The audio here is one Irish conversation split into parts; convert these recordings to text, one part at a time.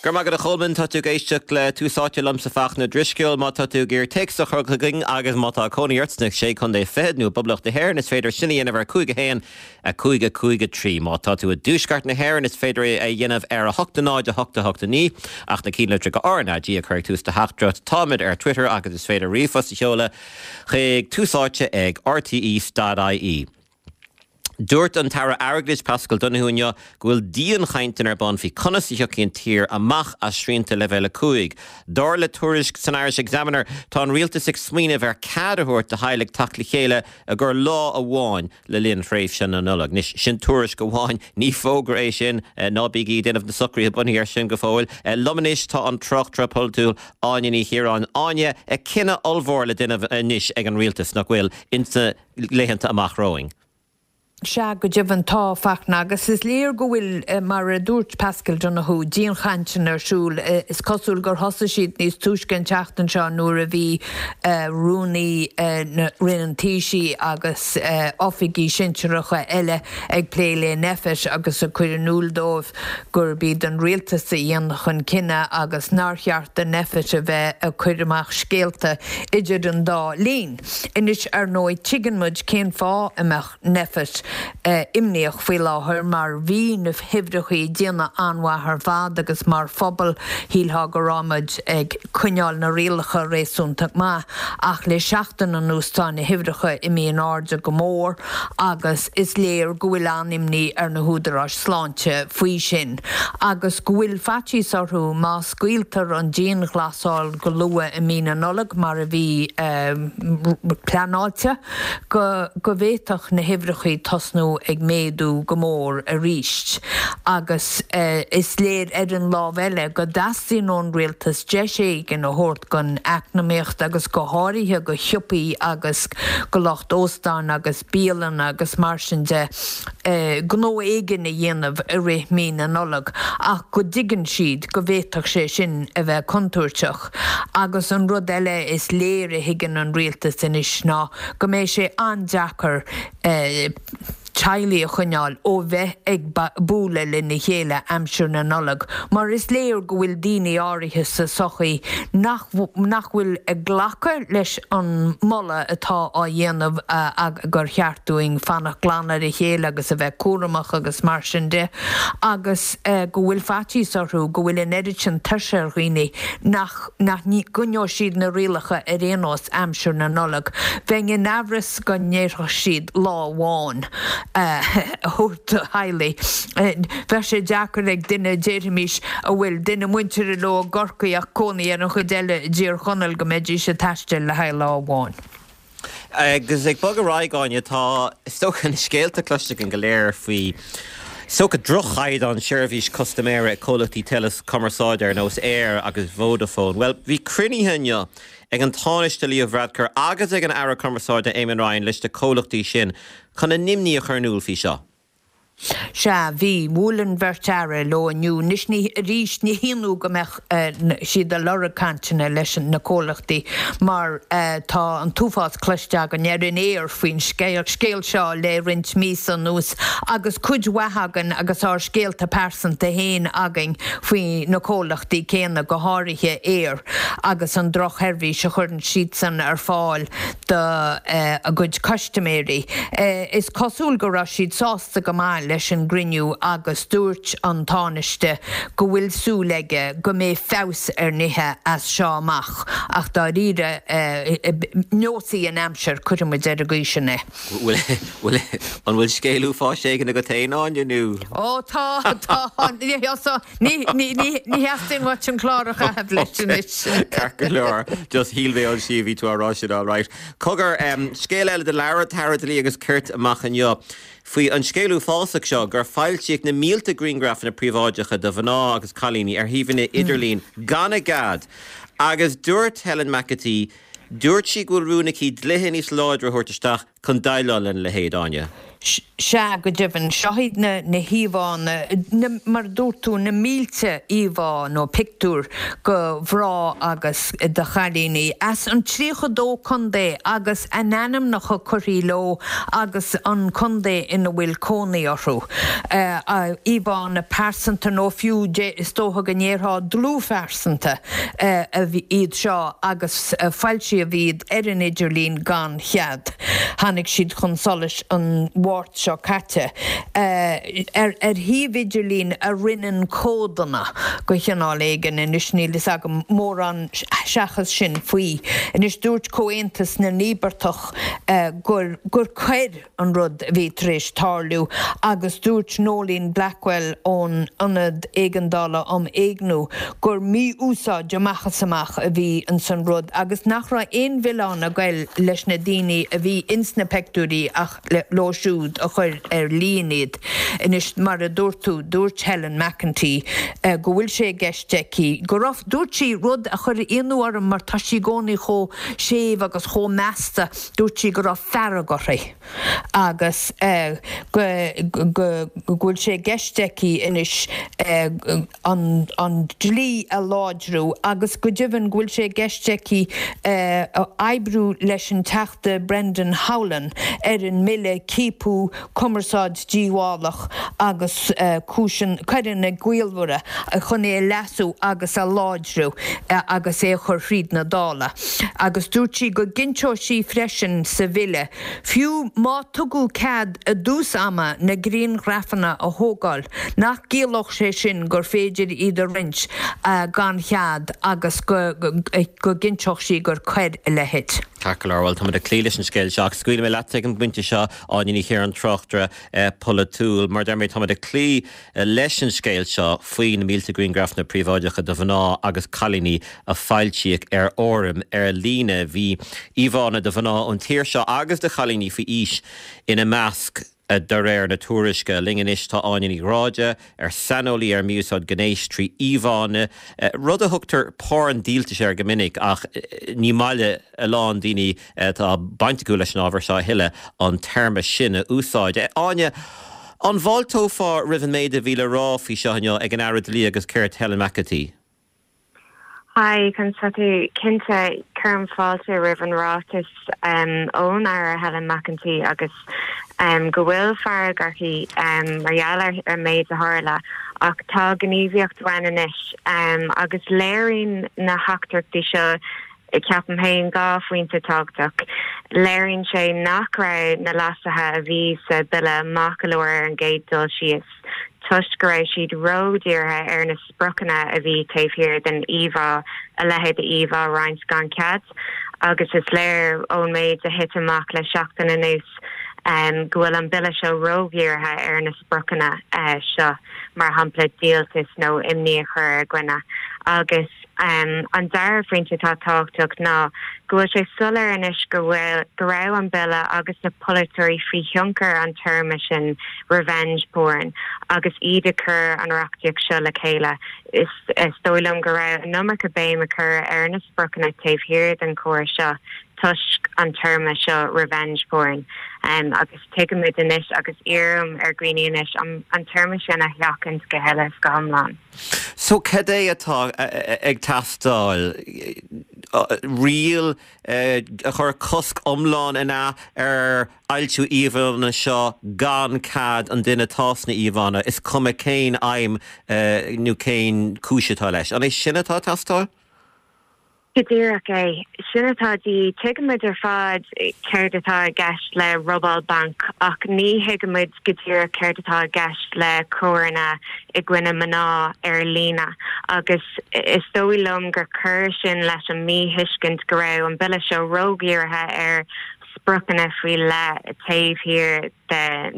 Go raibh maith agat a Cholmáin, tá tú ag éisteacht le Tús Áite liomsa Fachtna Ó Drisceoil. Má tá tú ag iarraidh téacs a chur chugainn agus má tá cónaí ort sna Sé Chontae Fichead nó i bPoblacht na hÉireann is féidir sin a dhéanamh ar 5 1 5 5 3. Má tá tú i dTuaisceart na hÉireann is féidir é a dhéanamh ar 8 0 8 8 9 ach na ceannlitreacha RnaG a chur ag tús do theachtaireacht. Táimid ar Twitter agus is féidir ríomhphost a sheoladh chuig Tús Áite ag rte.ie. Dúirt an tAire Airgeadais Paschal Donohoe inniu go bhfuil dianchainteanna ar bun faoi conas a thiocfaidh an tír amach as srianta Leibhéal 5. Dar le tuairisc san Irish Examiner, tá an rialtas ag smaoineamh ar cead a thabhairt do theaghlaigh teacht le chéile i gcomhair lá amháin le linn thréimhse na Nollag. Anois, sin tuairisc amháin, ní fógra é sin, ná bígí ag déanamh na socruithe bunaithe air sin go fóill. Liom anois tá an tráchtaire polaitiúil Áine Ní Chiaráin. Áine, cinneadh ollmhór le déanamh anois ag an rialtas, nach bhfuil, ins na laethanta amach romhainn. Sea, go deimhin tá, Fachtna, agus is léir go bhfuil, mar a dúirt Paschal Donohoe, dianchainteanna ar siúl. Is cosúil gur thosaigh siad níos túisce an tseachtain seo nuair a bhí Rúnaí Roinn an Taoisigh agus oifigigh sinsearacha eile ag plé le Nphet agus ag cur in iúl dóibh gurb iad an rialtas a dhéanfadh an cinneadh agus nár cheart do Nphet a bheith ag cur amach scéalta idir an dá linn. Anois, ar ndóigh, tuigeann muid cén fáth a mbeadh Nphet imníoch faoi láthair mar bhí na huimhreachaí ag déanamh an-mhaith ar fad agus mar phobal shílfeá go raibh muid ag coinneáil na rialacha réasúnta maith ach le seachtain anuas tá na huimhreacha imithe in airde go mór agus is léir go bhfuil an-imní ar na húdaráis sláinte faoi sin agus go bhfuil faitíos orthu má scaoiltear an dianghlasáil go luath i mí na Nollag mar a bhí pleanáilte, go go bhféadfadh na huimhreachaí tosnú ag méadú go mór arís. Agus is léir ar an lámh eile go dteastaíonn ón rialtas deis éigin a thabhairt don eacnamaíocht agus go háirithe go shiopaí agus go lucht óstáin agus bialanna agus mar sin de, gnó éigin a dhéanamh i rith mí na Nollag ach go dtuigeann siad go bhféadfadh sé sin a bheith contúirteach. Agus an rud eile is léir a thuigeann an rialtas anois ná go mbeidh sé an-deacair teaghlaigh a choinneáil ó bheith ag bualadh lena chéile aimsir na Nollag mar is léir go bhfuil daoine áirithe sa tsochaí nach nach bhfuil ag glacadh leis an moladh atá á dhéanamh gur cheart dúinn fanacht glan ar a chéile agus a bheith cúramach agus mar sin de agus go bhfuil faitíos orthu go bhfuil an oiread sin tuirse ar dhaoine nach nach gcoinneoidh siad na rialacha ar aon nós aimsir na Nollag. Bheinn in amhras go ndéarfadh siad lá amháin a thabhairt do theaghlaigh. Bheadh sé deacair ag duine, déarfaimis, a bhfuil duine muinteartha leo i gCorcaigh ach cónaí ar an chuid eile i dTír Chonaill go mbeidís ag taisteal le haghaidh lá amháin. Agus ag bogadh ar aghaidh, Áine, tá, is dócha, na scéalta cloiste againn go léir faoi, is dócha, droch-chaighdeán seirbhís custaiméara ag comhlachtaí teileachumarsáide ar nós Eir agus Vodafone. Bhuel, bhí cruinnithe inniu ag an Tánaiste Leo Varadkar agus ag an Aire Cumarsáide Eamon Ryan leis na comhlachtaí sin chun a n-imní a chur in iúl faoi seo. Sea, bhí. Bhuail an bheirt Aire leo inniu. Anois, ní, arís, ní hionadh go mbeadh siad ag lorg cainteanna leis na comhlachtaí mar tá an t-uafás cloiste againn ar an aer faoin scéal seo le roinnt míosa anuas agus cuid mhaith againn agus ár scéalta pearsanta féin againn faoi na comhlachtaí céanna, go háirithe Eir agus an drochsheirbhís a chuireann siadsan ar fáil do a gcuid custaiméirí. Is cosúil go raibh siad sásta go maith leis an gcruinniú agus dúirt an Tánaiste go bhfuil súil aige go mbeidh feabhas ar nithe as seo amach ach dáiríre, neosfaidh an aimsir, cuirfidh muid ar an gcaoi sin é. Bhfuil, an bhfuil scéal uafáis éigin agat féin, Áine, nó? Ó tá, tá, ní, ní, ní, ní theastaíonn uait an clár a chaitheamh leis anois. Ceart go leor, just shíl mé ansin bhí tú á rá sin, all right. Cogar, scéal eile do labhair an tAire Dlí agus Cirt amach inniu faoi an scéal uafásach seo gur foilsíodh na mílte grianghrafanna príobháideacha de mhná agus cailíní ar shuíomhanna idirlín gan a gcead agus dúirt Helen McEntee, Dúirt sí go bhfuil rún aici dlíthe níos láidre a thabhairt isteach chun déileáil lena leithéid, Áine. Sea, go deimhin, seo iad na híomhánna, mar a dúirt tú, na mílte íomhá nó pictiúr de mhná agus de chailíní as an 32 contae agus a n-ainmneacha curtha leo agus an contae ina bhfuil cónaí orthu. Íomhánna pearsanta nó fiú, is dócha go ndéarfá dlúthphearsanta iad seo agus foilsíodh iad ar an idirlíon gan chead. Tháinig siad chun solais an Mháirt seo caite ar shuíomh idirlín a roinneann códanna de chineál éigin. Anois níl fhios agam mórán seachas sin faoi. Anois dúirt Comhaontas na nÍobartach gur gur coir an rud a bhí tar éis tarlú agus dúirt Noeline Blackwell ón Ionad Éigeandála um Éigniú gur mí-úsáid amach is amach a bhí ins an rud agus nach raibh aon mhilleán ag goil leis na daoine a bhí ins na peictiúirí ach leo siúd a chuir ar líne iad. Anois, mar a dúirt tú, dúirt Helen McEntee go bhfuil sé i gceist aici go raibh, dúirt sí rud a chuir ionadh orm mar tá sí i gcónaí chomh séimh agus chomh measta, dúirt sí go raibh fearg uirthi agus go bhfuil sé i gceist aici anois an dlí a láidriú agus go deimhin go bhfuil sé i gceist aici oibriú leis an Teachta Brendan Howlin ar an mbille Ciapadh, Cumarsáid Díobhálach agus Cúiseanna Coireanna Gaolmhara chun é a leasú agus a láidriú agus é a chur thríd na Dála. Agus dúirt sí go gcinnteodh sí freisin sa bhille, fiú má tugadh cead i dtús ama na grianghrafanna a thógáil, nach gciallódh sé sin gur féidir iad a roinnt gan chead agus go gcinnteodh sí gur coir a leithéid. Ceart go leor, bhuel, táimid ag cloí leis an scéal seo ach scaoilfidh mé leat ag an bpointe seo, Áine Ní Chiaráin, tráchtaire polaitiúil. Mar a deir mé, táimid ag cloí leis an scéal seo faoi na mílte grianghrafanna príobháideacha de mhná agus cailíní a foilsíodh ar fhóraim ar líne. Bhí íomhánna de mhná ón tír seo agus de chailíní faoi aois ina measc, de réir na tuairisce. Linn anois tá Áine Ní Ghráda, ar saineolaí ar mhí-úsáid gnéis trí íomhánna, rud a thugtar porn díoltais air go minic ach ní maith le a lán daoine atá baint acu leis an ábhar seo a thuilleadh an téarma sin a úsáid. Áine, an bhfáilteofá roimh an méid a bhí le rá faoi seo inniu ag an Aire Dlí agus Cirt Helen McEntee? Hi, conas tá tú? Cinnte, cuirim fáilte roimh an ráiteas ón Aire Helen McEntee agus go bhfuil fearg uirthi mar gheall ar an méid a tharla ach tá gníomhaíocht uainn anois agus léiríonn na heachtraí seo ceapaim féin, 2 phointe tábhachtach. Léiríonn sé nach raibh na leasuithe a bhí sa bhille maith go leor ar an gcéad dul síos toisc go raibh siad ródhírithe ar na spriocanna a bhí taobh thiar den íomhá, a leithéid de íomhá a roinnt gan cead. Agus is léir ón méid a thit amach le seachtain anuas go bhfuil an bille seo ródhírithe ar na spriocanna seo, mar shampla díoltas nó imní a chur ar dhuine. Agus an dara phointe atá tábhachtach ná go bhfuil sé soiléir anois go bhfuil, go raibh an bille agus na polaiteoirí faoi thionchar an téarma sin revenge porn agus iad ag cur an reachtaíocht seo le chéile. Is dóigh liom go raibh an iomarca béim á cur ar na spriocanna taobh thiar den chóras seo toisc an téarma seo revenge porn agus tuigimid anois agus iarraim ar dhaoine anois an téarma sin a sheachaint go huile is go hiomlán. So cad é atá ag teastáil? Riail a chuir cosc iomlán an ea ar fhoilsiú íomhánna seo gan cead an duine atá sna íomhánna, is cuma cén aidhm nó cén cúis atá leis. An é sin atá ag teastáil? Go díreach é sin atá de dhíth. Tuigimid ar fad céard atá i gceist le robáil bainc ach ní thuigimid go díreach céard atá i gceist le coireanna i gcoinne mná ar líne agus is dóigh liom gur chuir sin leis an míthuiscint go raibh an bille seo ródhírithe ar spriocanna faoi leith taobh thiar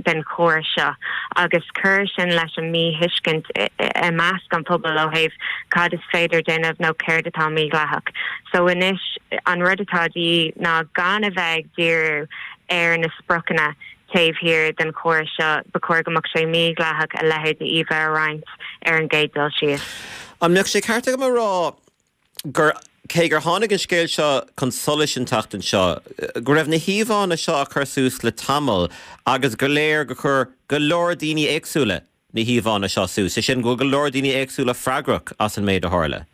den chóras seo agus chuir sin leis an míthuiscint i measc an phobail ó thaobh cad is féidir déanamh nó céard atá mídhleathach. So anois an rud atá de dhíth ná gan a bheith ag díriú ar na spriocanna taobh thiar den chóras seo, ba chóir go mbeadh sé mídhleathach a leithéid de íomhá a roinnt ar an gcéad dul síos. An mbeadh sé ceart agam a rá gur. cé gur tháinig an scéal seo chun solais an tseachtain seo, go raibh na híomhánna seo á cur suas le tamall agus gur léir gur chuir go leor daoine éagsúla na híomhánna seo suas, sé sin go bhfuil go leor daoine éagsúla freagrach as an méid a tharla.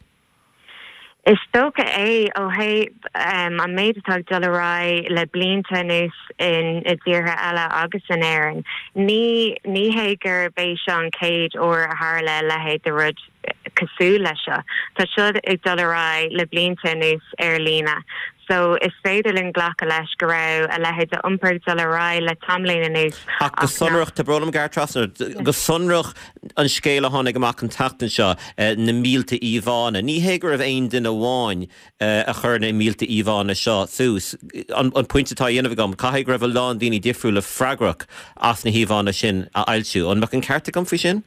Is dócha é, ó thaobh an méid atá ag dul ar aghaidh le blianta anuas i dtíortha eile agus in Éirinn. Ní ní hé gurb é seo an chéad uair a tharla a leithéid de rud cosúil leis seo. Tá seo ag dul ar aghaidh le blianta anuas ar líne. So is féidir linn glacadh leis go raibh a leithéid de iompar ag dul ar aghaidh le tamaillín anuas Ach go sonrach, tá brón orm gearradh trasna ort, go sonrach an scéal a tháinig amach an tseachtain seo, na mílte íomhánna, ní hé go raibh aon duine amháin a chuir na mílte íomhánna seo suas. An pointe atá á dhéanamh agam, caithfidh go raibh a lán daoine difriúla freagrach as na híomhánna sin a fhoilsiú. An mbeadh an ceart agam faoi sin?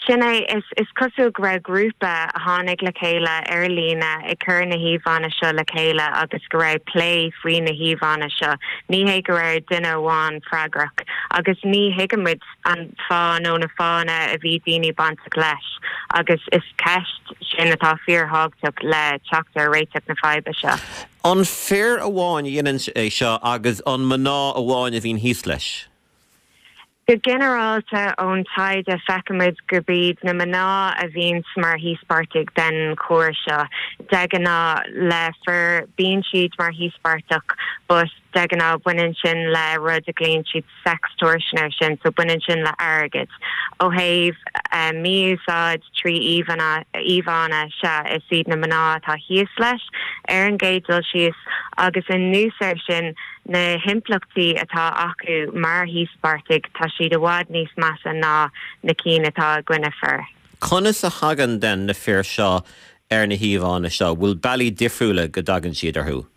Sin é, is cosúil go raibh grúpa a tháinig le chéile ar líne ag cur na híomhánna seo le chéile agus go raibh plé faoi na híomhánna seo. Ní hé go raibh duine amháin freagrach agus ní thuigimid an fáth nó na fáthanna a bhí daoine bainteach leis agus is ceist sin atá fíorthábhachtach le teacht ar réiteach na faidhbe seo. An fir amháin a dhéanann é seo agus an mná amháin a bhíonn thíos leis? Go ginearálta, ón taighde, feicimid gurb iad na mná a bhíonns mar híospartaigh den choir seo. De ghnáth, le fir, bíonn siad mar híospartach but de ghnáth baineann sin le rud a ghlaonn siad sextortion air sin, so baineann sin le airgead. Ó thaobh mí-úsáid trí íomhánna, íomhánna, sea, is iad na mná atá thíos leis ar an gcéad dul síos agus anuas air sin, Na himpleachtaí atá acu mar híospartaigh, tá siad i bhfad níos measa ná na cinn atá i gcoinne fir. Conas a thagann then na fir seo ar na híomhánna seo? Bhfuil bealaí difriúla go dtagann siad orthu?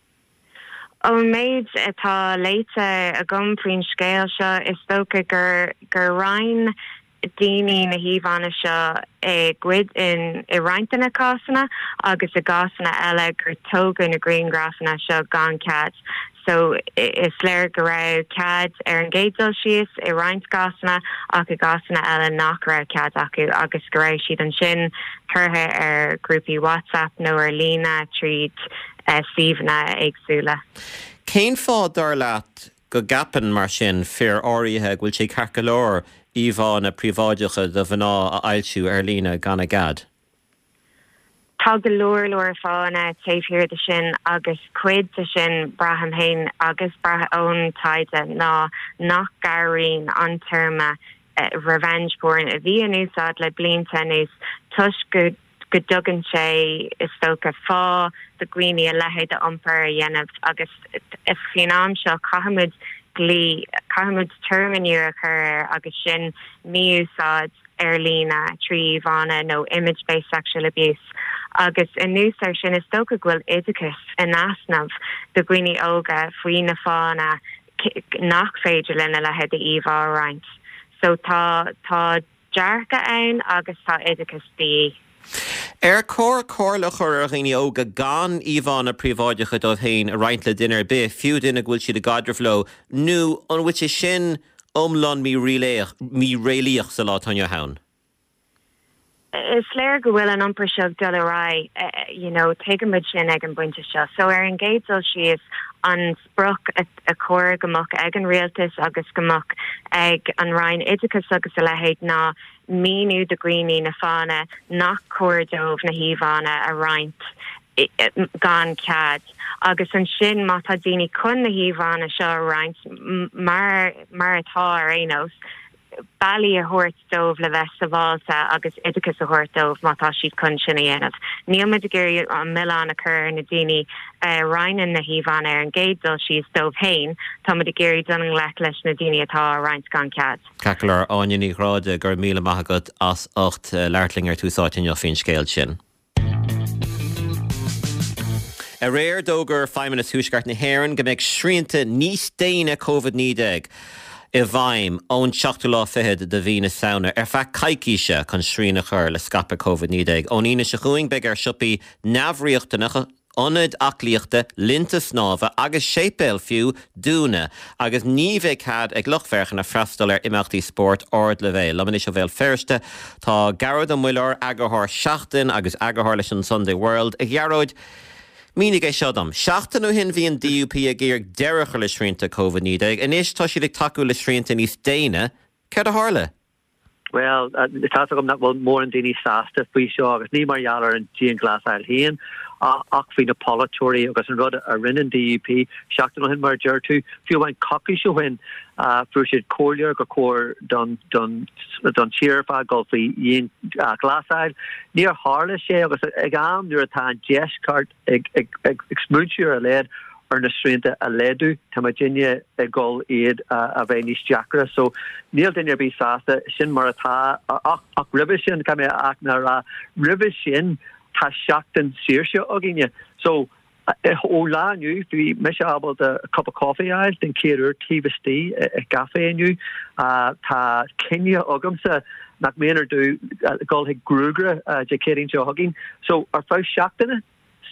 Ón méid atá léite agam faoin scéal seo, is dócha gur gur roinn daoine na híomhánna seo i gcuid, i roinnt de na cásanna agus i gcásanna eile gur tógadh na grianghrafanna seo gan cead. So is léir go raibh cead ar an gcéad dul síos i roinnt gcásanna ach i gcásanna eile nach raibh cead acu agus go raibh siad ansin curtha ar ghrúpaí WhatsApp nó ar líne tríd suíomhanna éagsúla. Cén fáth, dar leat, go gceapann, mar sin, fir áirithe go bhfuil sé ceart go leor íomhánna príobháideacha de mhná a fhoilsiú ar líne gan a gcead. Tá go leor leor fáthanna taobh thiar de sin agus cuid de sin, braithim féin agus braithim ón taighde, ná nach gcabhraíonn an téarma revenge porn a bhí in úsáid le blianta anuas toisc go go dtugann sé, is dócha, fáth do dhaoine a leithéid d'iompar a dhéanamh agus faoin am seo caithfimid dlí, caithfimid téarma nua a chur air agus sin mí-úsáid ar líne trí íomhánna nó image based sexual abuse agus anuas air sin is dócha go bhfuil oideachas in easnamh do dhaoine óga faoi na fáthanna nach féidir linn a leithéid d'íomhá a roinnt. So tá, tá. dearcadh ann agus tá oideachas de dhíth. Ar chóir comhairle a chur ar dhaoine óga gan íomhánna príobháideacha dóibh féin a roinnt le duine ar bith, fiú duine go bhfuil siad i gcaidreamh leo, nó an bhfuil sé sin iomlán míréalaíoch sa lá atá inniu ann? Is léir go bhfuil an iompar seo ag dul ar aghaidh, you know, tuigimid sin ag an bpointe seo. So ar an gcéad dul síos, an sprioc a chóir go mbeadh ag an rialtas agus go mbeadh ag an Roinn Oideachais agus a leithéid ná míniú do dhaoine na fáthanna nach cóir dóibh na híomhánna a roinnt gan cead. Agus ansin má tá daoine chun na híomhánna seo a roinnt, mar mar atá ar aon nós, bealaí a thabhairt dóibh le bheith sábháilte agus oideachas a thabhairt dóibh má tá siad chun sin a dhéanamh. Níl muid ag iarraidh an milleán a chur ar na daoine a roinneann na híomhánna ar an gcéad dul síos dóibh féin, tá muid ag iarraidh dul i ngleic leis na daoine atá á roinnt gan cead. Ceart go leor, Áine Ní Ghráda, go raibh míle maith agat as ucht labhairt linn ar Tús Áite inniu faoin scéal sin. Aréir, d'fhógair Feidhmeannas Thuaisceart na hÉireann go mbeidh srianta níos déine Covid-19 i bhfeidhm ón seachtú lá fichead de mhí na Samhna ar feadh coicíse chun srian a chur le scaipeadh Covid-19. Ón Aoine seo chugainn beidh ar siopaí neamhriachtanacha. Ionaid aclaíochta, linnte snámha agus séipéil fiú, dúnadh agus ní bheidh cead ag lucht féachana freastal ar imeachtaí spóirt ardleibhéil. Liom anois ó Bhéal Feirste tá Gearóid Ó Muilleoir, eagarthóir Seachtain agus eagarthóir leis an Sunday World. A Ghearóid, mínigh é seo dom. Seachtain ó shin bhí an DUP ag iarraidh deireadh a chur le srianta Covid-19. Anois tá siad ag tacú le srianta níos déine. Céard a tharla? Bhuel, tá's agam nach bhfuil mórán daoine sásta faoi seo agus ní mar gheall ar an dianghlasáil féin ach faoi na polaiteoirí agus an rud a rinne an DUP seachtain ó shin, mar a deir tú, fiú amháin coicís ó shin, fuair siad comhairle gur chóir don don tír ar fad dul faoi dhianghlasáil. Níor tharla sé agus ag am nuair atá an deisceart ag smaointiú ar a laghad ar na srianta a laghdú. Tá muidinne ag dul iad a bheith níos deacra. So níl duine ar bith sásta, sin mar atá. Ach roimhe sin, caithfidh mé a a rá, roimhe sin tá seachtain saoirse againne. So ón lá inniu bhí mise ábalta cup of coffee a fháil den chéad uair taobh istigh i gcaifé inniu. Tá coinne agamsa nach méanar domh dul chuig gruagaire Dé Céadaoin seo chugainn. So ar feadh seachtaine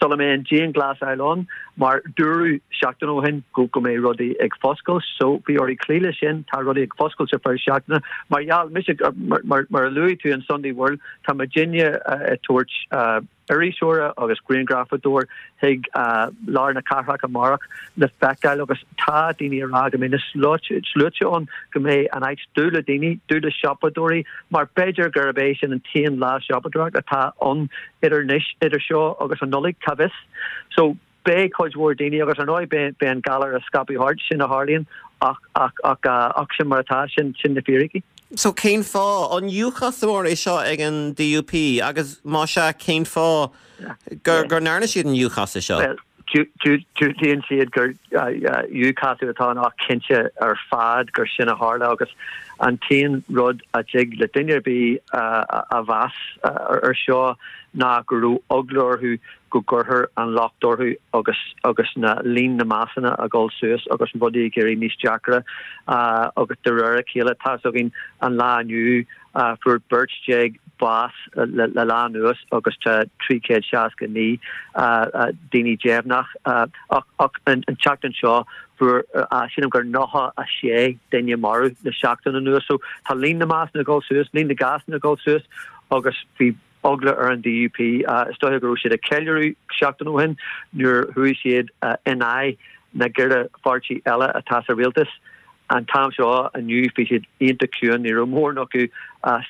sula mbeidh an dianghlasáil ann, mar dúradh seachtain ó shin go go mbeidh rudaí ag foscailt, so bhí orthu cloí leis sin, tá rudaí ag foscailt ar feadh seachtaine. Mar gheall, mise, mar mar a luaigh tú an Sunday World, tá muidinne ag tabhairt iriseora agus grianghrafadóir chuig lár na cathrach amárach le feiceáil agus tá daoine ag rá go mbeidh na sluaite ann, go mbeidh an áit dubh le daoine, dubh le siopadóirí mar b'fhéidir gurb é sin an t-aon lá siopadóireachta atá ann idir anois, idir seo agus an Nollaig, cá bhfios. So beidh cuid mhór daoine agus ar ndóigh beidh an galar ag scaipeadh thart, sin a tharlaíonn ach ach ach ach sin mar atá, sin sin na fíricí. So cén fáth? An iúchasamóir é seo ag an DUP agus má sea cén fáth gur gur ndearna siad an iúchasadh seo? Bhuel, diúltaíonn siad gur iúchasadh atá ann ach cinnte ar fad gur sin a tharla agus an t-aon rud a dtig le duine ar bith a mheas ar seo ná go raibh eagla orthu go gcuirfear an locht orthu agus agus na líon na mbásanna ag dul suas agus rudaí ag éirí níos deacra agus de réir a chéile. Tá's againn an lá inniu fuair beirt déag bás le lá anuas agus tá 369 daoine deimhneach ach an tseachtain seo fuair sílim gur 96 duine marbh le seachtain anuas. So tá líon na mbásanna ag dul suas, líon na gcásanna ag dul suas agus bhí eagla ar an DUP. Is dóiche go raibh siad ag ceiliúradh seachtain ó shin nuair chuaigh siad in aghaidh na gceithre pháirtí eile atá sa rialtas. An t-am seo inniu bhí siad iontach ciúin, ní raibh mórán acu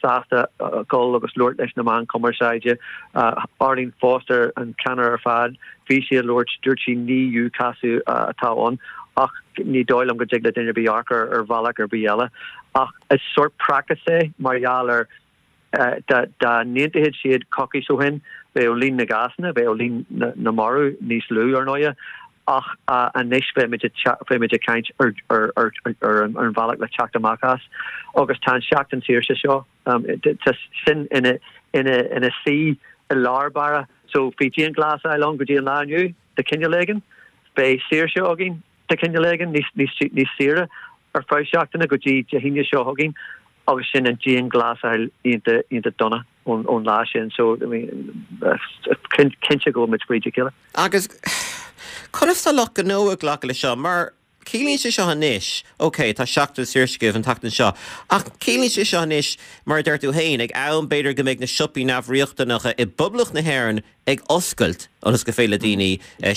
sásta dul agus labhairt leis na meáin chumarsáide. Arlene Foster an ceannaire ar fad, bhí sí ag labhairt, dúirt sí ní iúchasadh atá ann ach ní dóigh liom go dtig le duine ar bith amharc ar bhealach ar bith eile. Ach is sórt praiceas é mar gheall ar Dá n-aontódh siad coicís ó shin, bheadh líon na gcásanna, bheadh líon na marbh níos lú, ar ndóighe, ach anois beimid ag caint ar an bhealach le teacht amach as. Agus tá an seachtain saoirse seo, tá sin ina suí i lár báire. So bhí dianghlasáil ann go dtí an lá inniu, de chineál éigin. Beidh saoirse againn. de chineál éigin, níos saoire ar feadh seachtaine go dtí Dé hAoine seo chugainn agus sin an dianghlasáil iontach iontach dona ón lá sin so I mean cinnte go bhfuil muid fríd a chéile. Agus conas tá lucht gnó ag glacadh leis seo mar ciallaíonn sé seo anois, ok tá seachtain saoirse agaibh an tseachtain seo ach ciallaíonn sé seo anois mar a deir tú féin ag am b'fhéidir go mbeidh na siopaí neamhriachtanacha i bPoblacht na hÉireann ag oscailt ionas gur féidir le daoine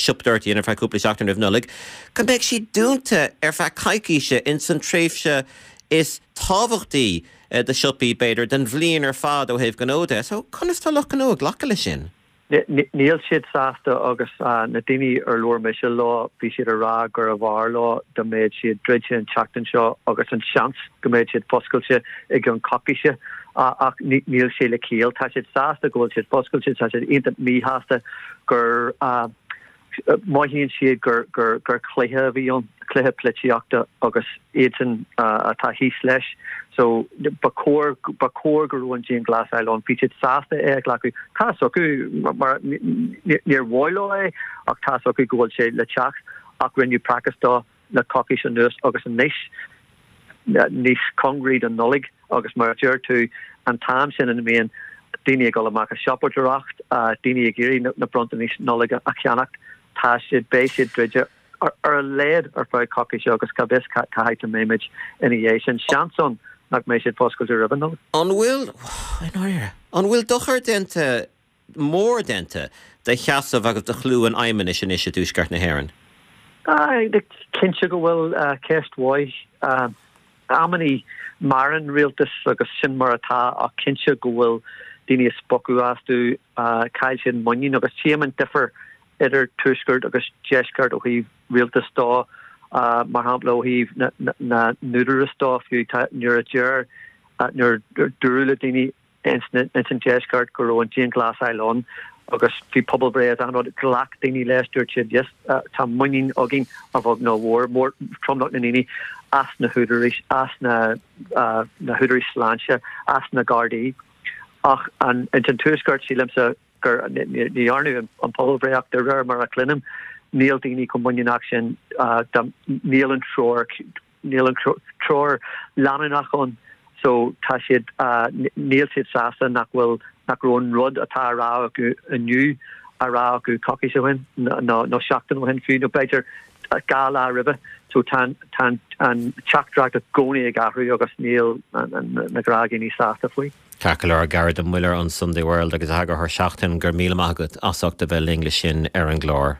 siopadóireacht a dhéanamh ar feadh cúpla seachtain roimh Nollaig, go mbeidh siad dúnta ar feadh coicíse ins an tréimhse is tábhachtaí do siopaí, b'fhéidir, den bhliain ar fad ó thaobh gnó de. So, conas tá lucht gnó ag glacadh leis sin? Níl siad sásta agus na daoine ar labhair mise leo, bhí siad ag rá gurbh fhearr leo dá mbeadh siad druidte an tseachtain seo agus an seans go mbeadh siad foscailte i gceann coicíse. Ach níl sé le ciall. Tá siad sásta go bhfuil siad foscailte, tá siad iontach míshásta gur mothaíonn siad gur gur cluiche a bhí ann, cluiche polaitíochta agus iadsan atá thíos leis. So ba chóir ba chóir go raibh an dianghlasáil ann. Bhí siad sásta é a ghlacadh. Tá's acu mar níor mhaith leo é ach tá's acu go bhfuil sé le teacht ach rinneadh praiceas dó. le coicís anuas agus anois níos cóngaraí don Nollaig agus mar a deir tú, an t-am sin ina mbíonn daoine ag dul amach ag siopadóireacht, daoine ag iarraidh na bronntanais Nollag a cheannacht. Tá siad, beidh siad druidte ar a laghad ar feadh coicíse agus cá bhfios cá háit a mbeimid ina dhiaidh sin. Seans ann nach mbeidh siad foscailte roimh an Nollaig. An bhfuil, i ndáiríre, an bhfuil dochar déanta, mór déanta, do sheasamh agus do chlú an Fheidhmeannais anois i dTuaisceart na hÉireann? Cinnte go bhfuil. Ceist mhaith. Amannaí maireann rialtas agus sin mar atá ach cinnte go bhfuil daoine ag spochadh astu, chaill siad muinín agus tchím an difear idir tuaisceart agus deisceart ó thaobh rialtas dó, mar shampla ó thaobh na n-údarás dó fiú tá nuair a deir nuair a dúradh le daoine ins an deisceart go raibh an dianghlasáil ann agus bhí pobalbhreith is achan rud, ghlac daoine leis, dúirt siad yes tá muinín againn a bheag nó a mhór, mór tromlach na ndaoine as na húdaráis, as na na húdaráis sláinte, as na Gardaí. Ach an ins an tuaisceart sílimse gur ní dhearnadh an pobalbhreith ach de réir mar a chluinim níl daoine chomh muiníneach sin, níl an treoir Níl an treoir leanúnach ann so tá siad, níl siad sásta nach bhfuil, nach raibh an rud atá á rá acu inniu á rá acu coicís ó shin nó nó seachtain ó shin fiú nó b'fhéidir 2 lá roimhe. So tá tá an teachtaireacht i gcónaí ag athrú agus níl na gnáthdhaoine sásta faoi. Ceart go leor, Gearóid Ó Muilleoir ón Sunday World agus eagarthóir Seachtain, go raibh míle maith agat as ucht a bheith linn le sin ar an gclár.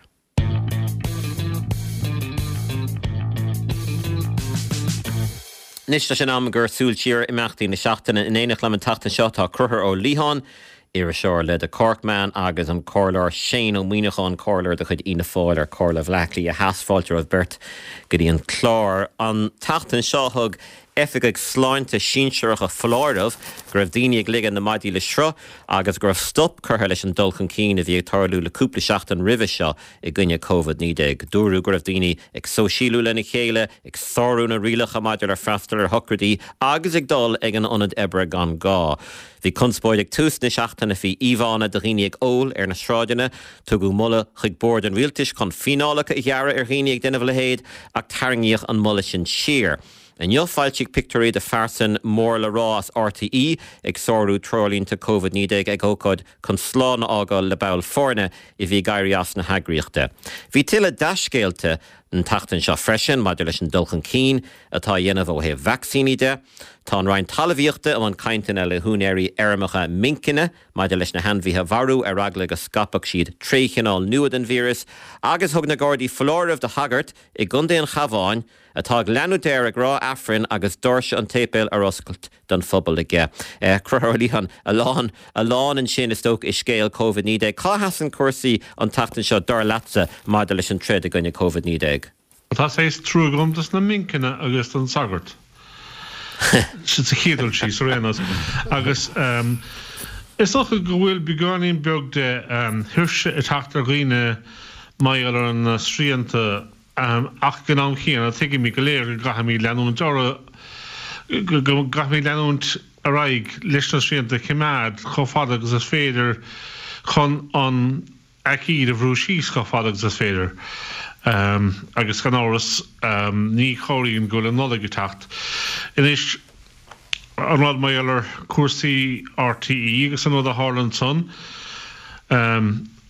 Anois tá sé in am gur súil siar ar imeachtaí na seachtaine. In éineacht liom an tseachtain seo tá Conchúr Ó Liatháin, iriseoir le The Corkman agus an Comhairleoir Shane Ó Muíneacháin, comhairleoir de chuid Fhianna Fáil ar Comhairle Bhaile Átha Cliath Theas. Fáilte romhaibh beirt go dtí an clár. An tseachtain seo thug oifigigh sláinte sinsearacha foláireamh go raibh daoine ag ligean na maidí le sruth agus go raibh stop curtha leis an dul chun cinn a bhí ag tarlú le cúpla seachtain roimhe seo i gcoinne Covid-19. Dúradh go raibh daoine ag sóisialú lena chéile, ag sárú na rialacha maidir le freastal ar shocraidí agus ag dul ag an ionad oibre gan gá. Bhí conspóid ag tús na seachtaine faoi íomhánna de dhaoine ag ól ar na sráideanna. Tugadh moladh chuig Bord an Rialtais chun fíneálacha a ghearradh ar dhaoine ag déanamh a leithéid ach tarraingíodh an moladh sin siar. Inniu foilsíodh pictiúirí de phearsain mór le rá as RTÉ ag sárú treoirlínte Covid-19 ag ócáid chun slán a fhágáil le ball foirne a bhí ag éirí as na heagraíochta. Bhí tuilleadh dea-scéalta an tseachtain seo freisin maidir leis an dul chun cinn atá á dhéanamh ó thaobh vacsaíní de. Tá an Roinn Talmhaíochta i mbun cainteanna le húinéirí fheirmeacha minceanna maidir leis na hainmhithe a mharú ar eagla go scaipfeadh siad tréchineál nua den víreas agus thug na Gardaí foláireamh do shagart i gContae an Chabháin atá ag leanúint air ag rá Aifrinn agus doirse an tséipéil ar oscailt don phobal aige. Conchúr Ó Liatháin, a lán, a lán ansin is dócha i scéal Covid-19. Cá sheasann cúrsaí an tseachtain seo, dar leatsa, maidir leis an troid i gcoinne Covid-19? Tá saghas trua agam dos na minceanna agus don sagart. Sa chéad dul síos, ar aon nós. Agus is dócha go bhfuil beagáinín beag de thuirse ag teacht ar dhaoine mar gheall ar na srianta Ach ag an am chéanna, tuigimid go léir go gcaithfimid leanúint orthu, go gcaithfimid leanúint ar aghaidh leis na srianta a choimeád chomh fada agus is féidir chun an aicíd a bhrú síos chomh fada agus is féidir. Agus gan amhras, ní chabhraíonn go bhfuil an Nollaig ag teacht. Anois, an rud mar gheall ar chúrsaí RTÉ agus an rud a tharla ansan,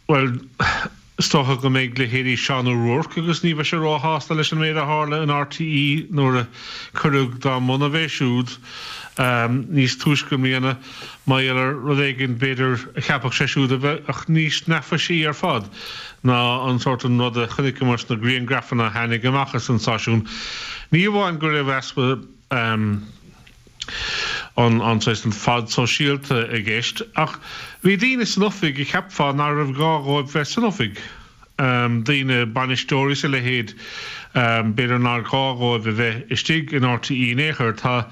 bhuel, Is dócha go mbeidh leithéidí Seán O'Rourke agus ní bheidh sé róshásta leis an méid a tharla in RTÉ nuair a cuireadh dá mbun é siúd níos túisce i mbliana mar gheall ar rud éigin b'fhéidir a cheapfadh sé siúd a bheadh níos neafaisí ar fad ná an sórt an rud a chonaiceamar sna grianghrafanna a tháinig amach as an stáisiún. Ní amháin go raibh easpa an an saghas an fad sóisialta i gceist ach bhí daoine san oifig a cheapfá nach raibh gá dhóibh bheith san oifig, daoine, bainisteoirí is a leithéid, b'fhéidir nár ghá dhóibh a bheith istigh in RTÉ in aon chor. Tá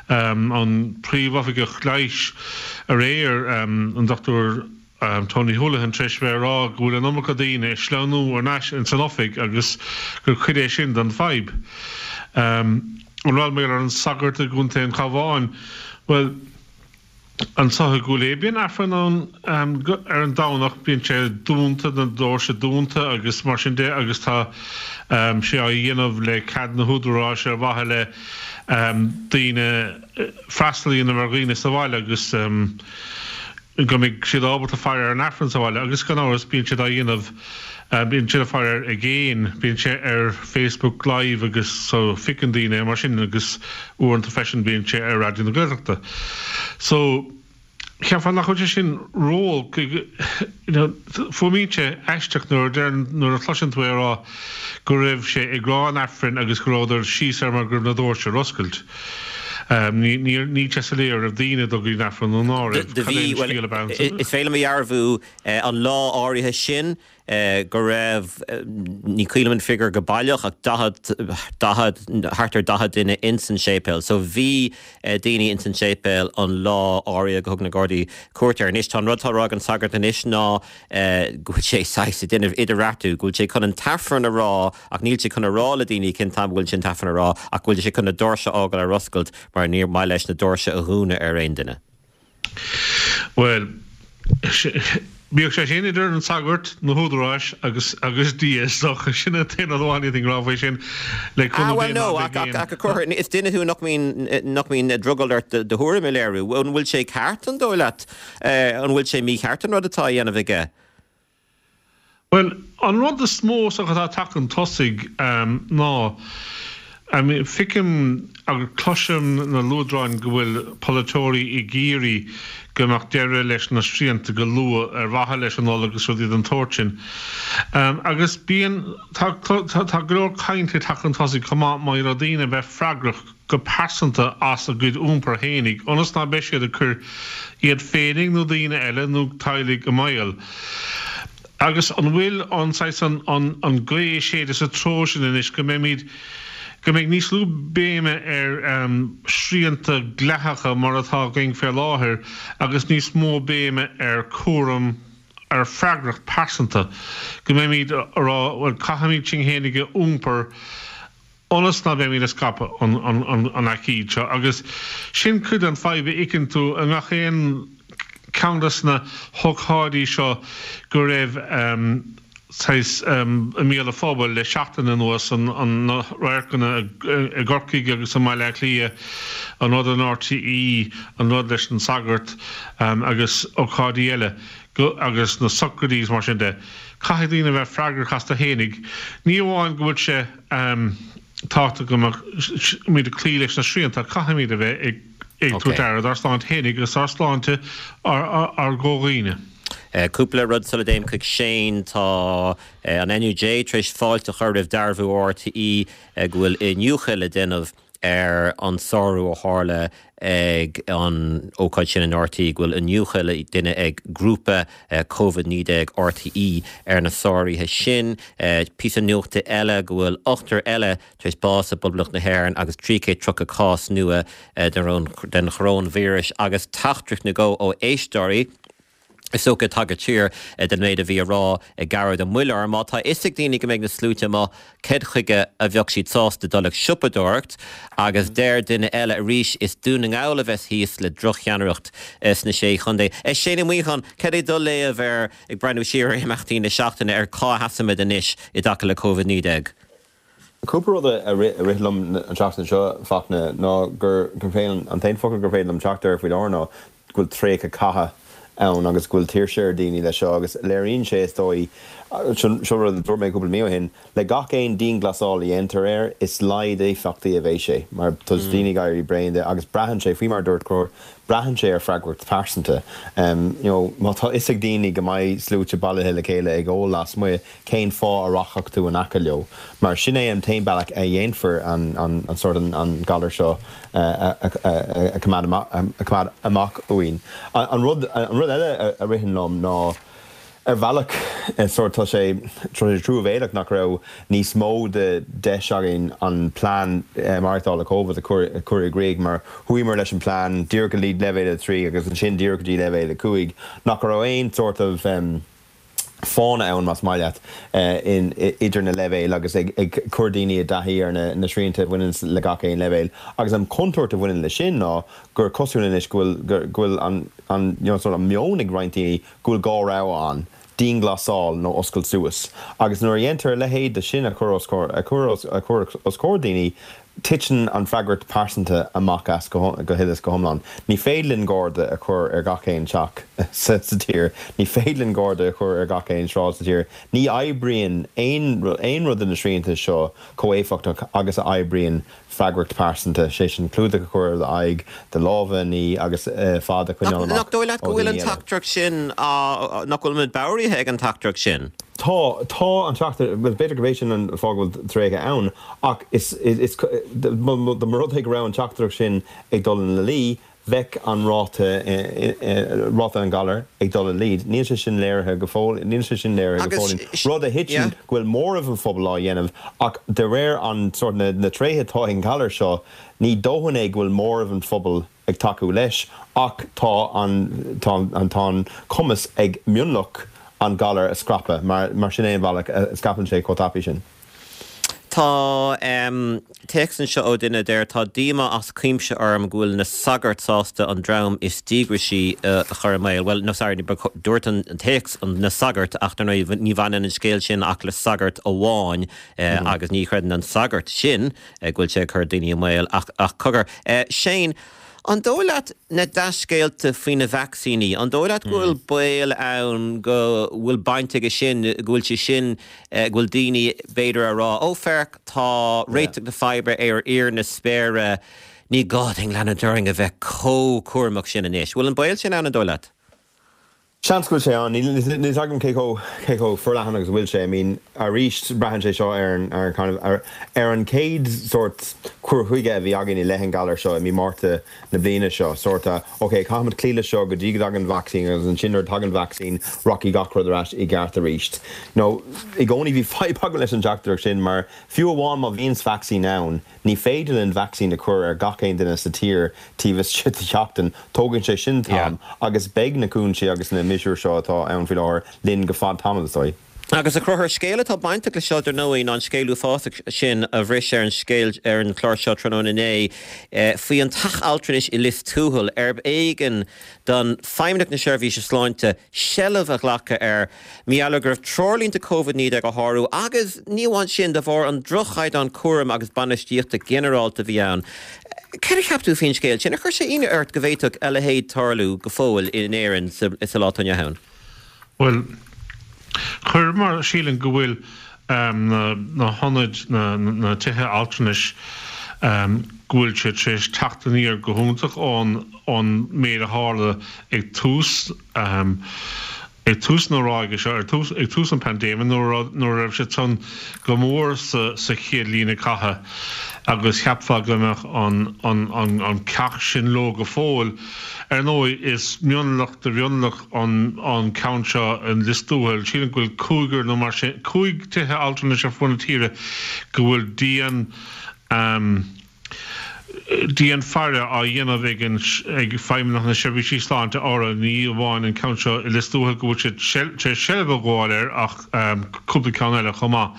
an príomhoifigeach leighis aréir, an Dr. Tony Holohan tar éis a bheith ag rá go bhfuil an iomarca daoine ag sleamhnú thar n-ais ins an oifig agus gur cuid é sin den fadhb. An rud mar gheall ar an sagart i gContae an Chabháin, bhuel, anso i gCúil Aodha bíonn Aifreann ann ar an Domhnach, bíonn sé dúnta, na doirse dúnta agus mar sin de agus tá sé á dhéanamh le cead na húdaráis ar mhaithe le daoine, freastal a dhéanamh ar dhaoine sa bhaile agus. go mbeidh siad ábalta faire ar an Aifreann sa bhaile agus gan amhras bíonn siad á dhéanamh, bíonn siad ag faire air i gcéin, bíonn sé ar Facebook Live agus so feiceann daoine é mar sin agus uaireanta freisin bíonn sé ar Raidió na Gaeltachta. So cheapfá nach bhfuil sé sin ró, you know, fuaimíonn sé aisteach nuair a deireann, nuair a chloiseann tú é a rá go raibh sé ag rá an Aifrinn agus go rabhadar síos air mar go raibh na doirse ar oscailt. Níl sé soiléir an raibh daoine ag dul go dtí an Aifreann nó ná raibh. Do Cad é bhí, an bhuel, scéal ab ann? is féidir liom a dhearbhú an lá áirithe sin go raibh, ní cuimhin liom an figiúr go baileach, ach 40, 40, thart ar 40 duine ins an séipéal. So bhí daoine ins an séipéal an lá áirithe go thug na Gardaí cuairt air. Anois tá an rud atá á rá ag an sagart anois ná go bhfuil sé saghas ag déanamh idirbheartú, go bhfuil sé chun an tAifreann a rá ach níl sé chun a rá le daoine cén t-am a bhfuil sé an tAifreann a rá ach go bhfuil sé chun na doirse a fhágáil ar oscailt mar níor mhaith leis na doirse a dhúnadh ar aon duine. Bhuel, bíodh sé sin idir an sagart, na húdaráis agus agus Dia is dócha. Sin an t-aon rud amháin a d'fhéadfainn a rá faoi sin. Le Ah cúnamh bhuel Dé ná no, beidh ach aon. ach a Chonchúir, is duine thú nach mbíonn nach mbíonn drogall ort do thuairim a léiriú. An bhfuil sé ceart, an dóigh leat? An bhfuil sé mícheart an rud atá á dhéanamh aige? Bhuel, an rud is mó is dócha atá ag teacht chun tosaigh ná, feicim agus cloisim na luaidreáin go bhfuil polaiteoirí ag iarraidh go mbeadh deireadh leis na srianta go luath ar mhaithe leis an Nollaig agus rudaí den tsórt sin. Agus bíonn, tá go leor cainte ag teacht chun tosaigh chomh maith maidir le daoine a bheith freagrach go pearsanta as a gcuid iompair fhéinig, ionas ná beidh siad ag cur iad féinig nó daoine eile nó teaghlaigh i mbaol. Agus an bhfuil an saghas an an gaoth ag séideadh sa treo sin anois, go mbeimid, go mbeidh níos lú béime ar srianta dleathacha mar atá againn fé láthair agus níos mó béime ar cúram, ar freagracht pearsanta, go mbeimid a rá, bhuel, caithfimid sinn fhéinig a iompar, ionas ná beimid ag scaipeadh an aicíd seo. Agus sin cuid den fadhb a fheiceann tú i ngach aon ceann des na hócáidí seo go raibh saghas i mbéal an phobail le seachtain anuas, na radharcanna i gCorcaigh agus i mBaile Átha Cliath, an rud in RTÉ, an rud leis an sagart agus ócáidí eile agus na socraidí is mar sin de. Caithfidh daoine a bheith freagrach astu fhéinig. Ní amháin go bhfuil sé tábhachtach go mbeimid ag cloí leis na srianta, caithfimid a bheith ag tabhairt aire dár sláinte fhéinig agus dár sláinte ár gcomhdhaoine. Cúpla rud sula dtéim chuig Shane. Tá an NUJ tar éis fáilte a chur roimh dearbhú RTÉ go bhfuil iniúchadh le déanamh ar an sárú a tharla ag an ócáid sin in RTÉ, go bhfuil iniúchadh le déanamh ag grúpa Covid-19 RTÉ ar na sáruithe sin. Píosa nuachta eile, go bhfuil ochtar eile tar éis bás i bPoblacht na hÉireann agus 330 cás nua den choróinvíreas agus teachtaireacht nó dhó ó éisteoirí. Is dócha ag tagairt siar don méid a bhí á rá ag Gearóid Ó Muilleoir, má tá fhios ag daoine go mbeidh na sluaite amuigh, céard chuige a bheadh siad sásta dul ag siopadóireacht? Agus deir duine eile arís, is Dún na nGall a bheas thíos le drochcheannaireacht sna Sé Chontae. Shane Ó Muíneacháin, cad é do léamh ar, ag breathnú siar ar imeachtaí na seachtaine, ar cá sheasaimid anois i dtaca le Covid-19? Cúpla rud a rith liom an tseachtain seo, Fachtna, ná gur féidir, an t-aon focal gur féidir liom teacht air faoi láthair ná go bhfuil traochadh catha ann agus go bhfuil tuirse ar dhaoine leis seo agus léiríonn sé, is dóigh, seo rud a dúirt mé cúpla mí ó shin, le gach aon dianghlasáil a dhéantar air, is laghad éifeachtaí a bheidh sé mar tá daoine ag éirí bréan de agus braitheann sé, faoi mar a dúirt Conchúr, braitheann sé ar freagracht phearsanta. You know, má tá fhios ag daoine go mbeidh sluaite bailithe le chéile ag ól lasmuigh, cén fáth a rachadh tú in aice leo? Mar sin é an t-aon bealach a dhéanfar an sórt an galar seo a choimeád amach uainn. An rud eile a ritheann liom ná ar bhealach sórt tá sé truamhéalach nach raibh níos mó de deis againn an plean maireachtála Covid a chur i gcrích mar chuamar leis an plean díreach go dtí leibhéal 3 agus ansin díreach go dtí leibhéal 5 nach raibh aon sórt of fána ann, más maith leat, idir na leibhéil agus ag cur daoine i dtaithí ar na srianta a bhaineann le gach aon leibhéal. Agus an chontúirt a bhaineann leis sin ná gur cosúil anois go bhfuil go bhfuil an an you know sort of meon ag roinnt daoine go bhfuil dhá rogha ann, dianghlasáil nó oscailt suas. Agus nuair a dhéantar a leithéid de sin a chur os a chur os a chur os comhair daoine, Titeann an freagracht pearsanta amach as go huile is go hiomlán. Ní féidir linn garda a chur ar gach aon teach sa tír. Ní féidir linn garda a chur ar gach aon sráid sa tír. Ní oibríonn aon rud de na srianta seo chomh éifeachtach agus a oibríonn freagracht pearsanta, sé sin clúdach a chur ar d'aghaidh, do lámha a ní agus fad a choinneáil amach Nach dóigh leat go ó bhfuil dhaoine an eile. teachtaireacht sin á, nach bhfuil muid bodhraithe ag an teachtaireacht sin? Tá, tá an teachtaireacht, bhuel b'fhéidir gurb é sin an fáth go bhfuil tréigthe ann ach is, is, dá mba rud é go raibh an teachtaireacht sin ag dul ina luí, bheadh an ráta, ráta an ghalair ag dul i laghad. Níl sé sin léirithe go fóill, níl sé sin léirithe go Agus, fóillín. Rud a yeah. thiteann go bhfuil móramh an phobail á dhéanamh ach de réir an sórt, na, na tréithe atá ag an ghalar seo, ní dóthain é go bhfuil móramh an phobail ag tacú leis ach tá an, tá an, tá an cumas ag mionlach an galar a scaipeadh mar, mar sin é an bealach a scaipeann sé chomh tapaidh sin. Tá téacs anseo ó duine a deir, Tá díomá as cuimse orm go bhfuil na sagairt sásta an dream is díograisí a chur i mbaol. Bhuel, no sorry, dúirt an téacs na sagairt ach dar ndóigh ní bhaineann an scéal sin ach le sagart amháin agus ní chreideann an sagart sin go bhfuil sé ag cur daoine i mbaol ach ach cogar. Shane, an dóigh leat na dea-scéalta faoi na vacsaíní, an dóigh leat go bhfuil baol ann go bhfuil baint aige sin, go bhfuil sé sin, go bhfuil daoine b'fhéidir a rá, ó féach, tá réiteach na faidhbe ar íor na spéire, ní gá dúinn leanúint orainn a bheith chomh cúramach sin anois. Bhfuil an baol sin ann, an dóigh leat? Seans go bhfuil sé ann. Níl a fhios agam cé chomh, cé chomh forleathan agus a bhfuil sé. I mean, arís, braitheann sé seo ar an, ar an kind of, ar, ar an chéad sórt cur chuige a bhí againn i leith an ghalair seo i mí Márta na bliana seo. Sórt a, ok, caithfimid cloí leis seo go dtí go dtagann an vacsaín agus ansin nuair a tagann an vacsaín, rachaidh gach rud ar ais i gceart arís. You know, i gcónaí bhí fadhb agam leis an teachtaireacht sin mar fiú amháin má bhíonns vacsaín ann, Ní féidir linn vacsaín a chur ar gach aon duine sa tír taobh istigh de sheachtain, tógann sé sin t-am agus beidh na cúinsí agus na miosúir seo atá ann faoi láthair linn go fad tamaill, is dóigh. Agus a Chonchúir, scéal atá bainteach le seo dar ndóigh ná an scéal uafásach sin a bhris ar an scéal ar an chlár seo tráthnóna inné faoi an teach altranais i Lios Tuathail arb éigean don Feidhmeannacht na Seirbhíse Sláinte seilbh a ghlacadh air Mar gheall go raibh treoirlínte Covid-19 á shárú agus, ní amháin sin, de bharr an droch-chaighdeán cúraim agus bainistíochta ginearálta a bhí ann. Céard a cheap tú faoin scéal sin? Ar chuir sé ionadh ort go bhféadfadh a leithéid tarlú go fóill in Éirinn sa lá atá inniu ann? Bhuel, chuir, mar sílim go bhfuil na hionaid, na tithe altranais, go bhfuil siad tar éis teacht aniar go hiontach ón méid a tharla ag tús Ag tús na ráige seo, ag tús an paindéime, nuair a raibh siad san go mór sa chéad líne catha agus cheapfá go mbeadh an ceacht sin leo go fóill. Ar ndóigh, is mionlach de mhionlach an ceann seo i Lios Tuathail. Sílim go bhfuil cúigear nó mar sin, cúig tithe altranais ar fud na tíre go bhfuil dian, Dian-fhaire á dhéanamh ag ag Feidhmeannacht na Seirbhísí Sláinte orthu, ní amháin an ceann seo i Lios Tuathail go bhfuil siad tar éis seilbh a ghabháil air ach cúpla ceann eile chomh maith.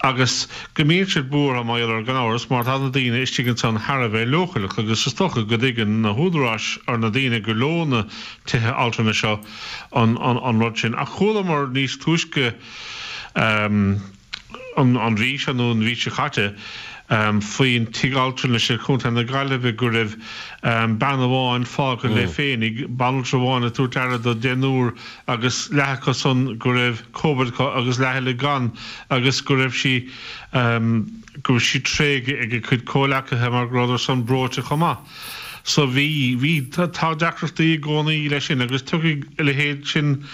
Agus go mbíonn siad buartha mar gheall air gan amhras mar tá na daoine istigh ansan thar a bheith leochaileach agus is dócha go dtuigeann na húdaráis or na daoine gur leo na tithe altranais seo an rud sin. Ach chualamar níos túisce an mhí seo nó an mhí seo caite faoin tigh altranais i gContae na Gaillimhe go raibh bean amháin fágtha léi féinig, banaltra amháin ag tabhairt aire do deichniúr agus leath acu san go raibh Covid acu agus leath eile gan agus go raibh sí go raibh sí tréigthe ag a cuid comhleacaithe mar go rabhadar san breoite chomh maith. So bhí, bhí, tá deacrachtaí i gcónaí leis sin agus tiocfaidh a leithéid sin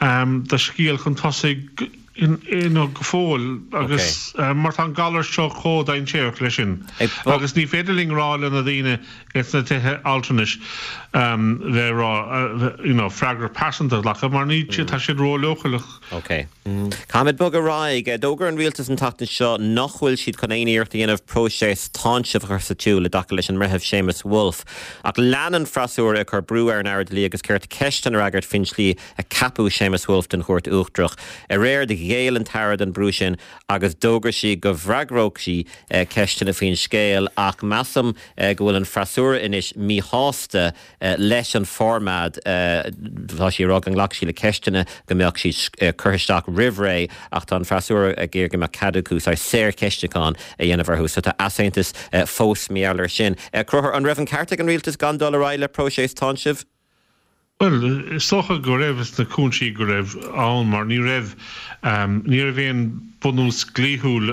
de scéal chun tosaigh you know, go fóill agus mar tá an galar seo chomh dainséarach leis sin agus ní féidir linn rá le na daoine ins na tithe altranais bheith ag rá you know, freagracht pearsanta a ghlacadh mar ní tá siad ró-leochaileach. Ok. Caithfimid bogadh ar aghaidh. D'fhógair an rialtas an tseachtain seo nach bhfuil siad chun aon iarracht a dhéanamh próiseas táinsimh a chur sa tsiúl i dtaca leis an mBreitheamh Séamus Woulfe. Ach lean an freasúra ag cur brú ar an Aire Dlí agus Cirt ceisteanna a fhreagairt faoin tslí a ceapadh Séamus Woulfe don Chúirt Uachtarach. Aréir. Ghéill an tAire don brú sin agus d'fhógair sí go bhfreagródh sí ceisteanna faoin scéal ach measaim go bhfuil an freasúra anois míshásta leis an bhformáid. Tá sí ag rá go nglacfaidh sí le ceisteanna, go mbeadh siad curtha isteach roimh ré ach tá an freasúra ag iarraidh go mbeadh cead acu saghas saorcheistiúchán a dhéanamh orthu. So tá easaontas fós mar gheall air sin. Conchúr, an raibh an ceart ag an rialtas gan dul ar aghaidh le próiseas táinsimh? Bhuel, is dócha go raibh sna cúinsí go raibh ann mar ní raibh, ní raibh aon bunús dlíthiúil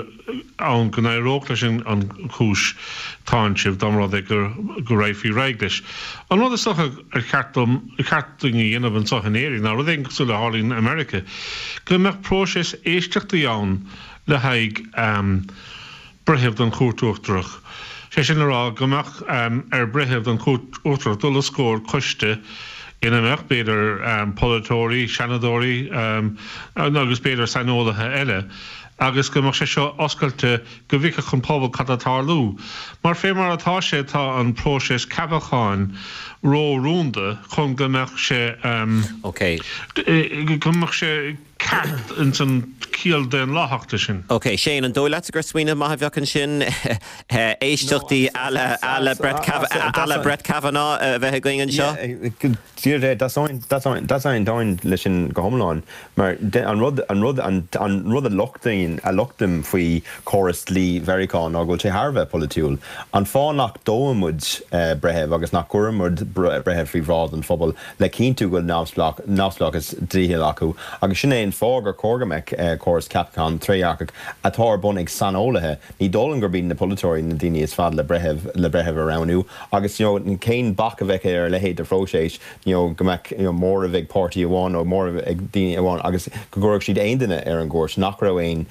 ann go n-éireodh leis an chúis táinsimh dá mba rud é go raghfaí ar aghaidh leis. An rud is dócha ar cheart dom, ar cheart dúinn a dhéanamh anseo in Éirinn ná rud éigin cosúil le tharlaíonn i Meiriceá, go mbeadh próiseas éisteachtaí ann le haghaidh, breitheamh don Chúirt Uachtarach. Sé sin le rá go mbeadh ar bhreitheamh don Chúirt Uachtarach dul os comhair coiste ina mbeadh, b'fhéidir, polaiteoirí, seanadóirí agus b'fhéidir saineolaithe eile agus go mbeadh sé seo oscailte go bhfeicfeadh an pobal cad tá ag tarlú. Mar fé mar atá sé tá an próiseas ceapacháin ró-rúnda chun go mbeadh sé go mbeadh sé ceart ins an chiall daonlathach de sin. Ok, Shane, an dóigh leatsa gur smaoineamh maith a bheadh ansin éisteachtaí à la, à la Brett Kav, à la Brett Kavanaugh a bheith againn anseo? D'aontóinn leis sin go hiomlán, mar an rud, an rud, an rud a lochtaím, a lochtaim faoi chóras dlí Mheiriceá ná go bhfuil sé thar a bheith polaitiúil. An fáth nach dtoghann muid breitheamh agus nach gcuireann muid breitheamh faoi bhráid an phobail le cinntiú go bhfuil neamhspleáchas dlíthiúil acu agus sin é an fáth gur chóir go mbeadh córas ceapacháin trédhearcach atá ar bun ag saineolaithe. Ní dóigh liom gurb iad na polaiteoirí na daoine is fearr le breitheamh le breitheamh a roghnú agus you know cén bac a bheadh ar a leithéid de phróiseas you know go mbeadh you know móramh ag páirtí amháin nó móramh ag daoine amháin agus go gcuirfeadh siad aon duine ar an gcúirt nach raibh aon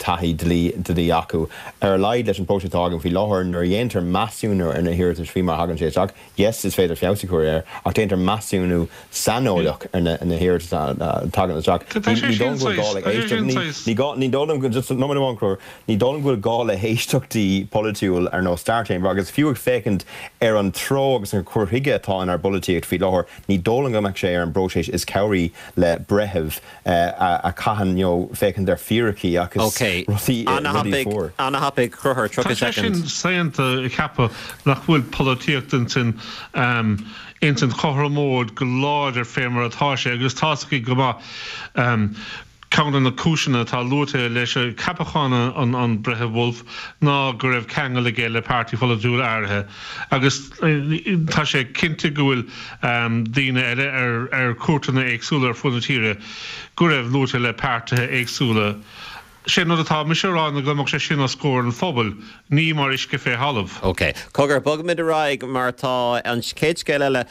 taithí dlí dlí acu. Ar a laghad leis an bpróiseas atá againn faoi láthair nuair a dhéantar measúnú ar na hiarratais faoi mar a thagann sé isteach, Yes, is féidir feabhas a chur air, ach déantar measúnú saineolaíoch ar na hiarratais a thagann isteach. Tá sé Ní sin dóigh liom go bhfuil gá saghas, le tá sé héisteacht, sin ní, saghas. ní gá, ní dóigh liom go, just nóiméad amháin, Conchúr, ní dóigh liom go bhfuil gá le héisteachtaí polaitiúil ar nós Star Chamber agus fiú ag féachaint ar an treo agus an cur chuige atá inár bpolaitíocht faoi láthair, ní dóigh liom go mbeadh sé ar an bpróiseas is cabhraí le breitheamh a chaitheann you know féachaint ar fíricí agus Ok. rudaí rudaí Ana-thapaidh, fuar. ana-thapaidh, Conchúr, Tá 30 sé sin second. saonta a cheapadh nach bhfuil polaitíocht ins an ins an chothromóid go láidir fé mar atá sé agus tá's againn go maith ceann de na cúiseanna atá luaite leis ceapachán an an Bhreithimh Wolf ná go raibh ceangal aige le páirtí pholaitiúil áirithe agus tá sé cinnte go bhfuil daoine eile ar chúirteanna éagsúla ar fud na tíre go raibh luaite le páirtithe éagsúla. Sé an rud atá mise a rá ná go mbeadh sé sin os comhair an phobail, ní mar uisce fé thalamh. Ok. Cogar, bogfaimid ar aghaidh mar tá an chéad scéal eile,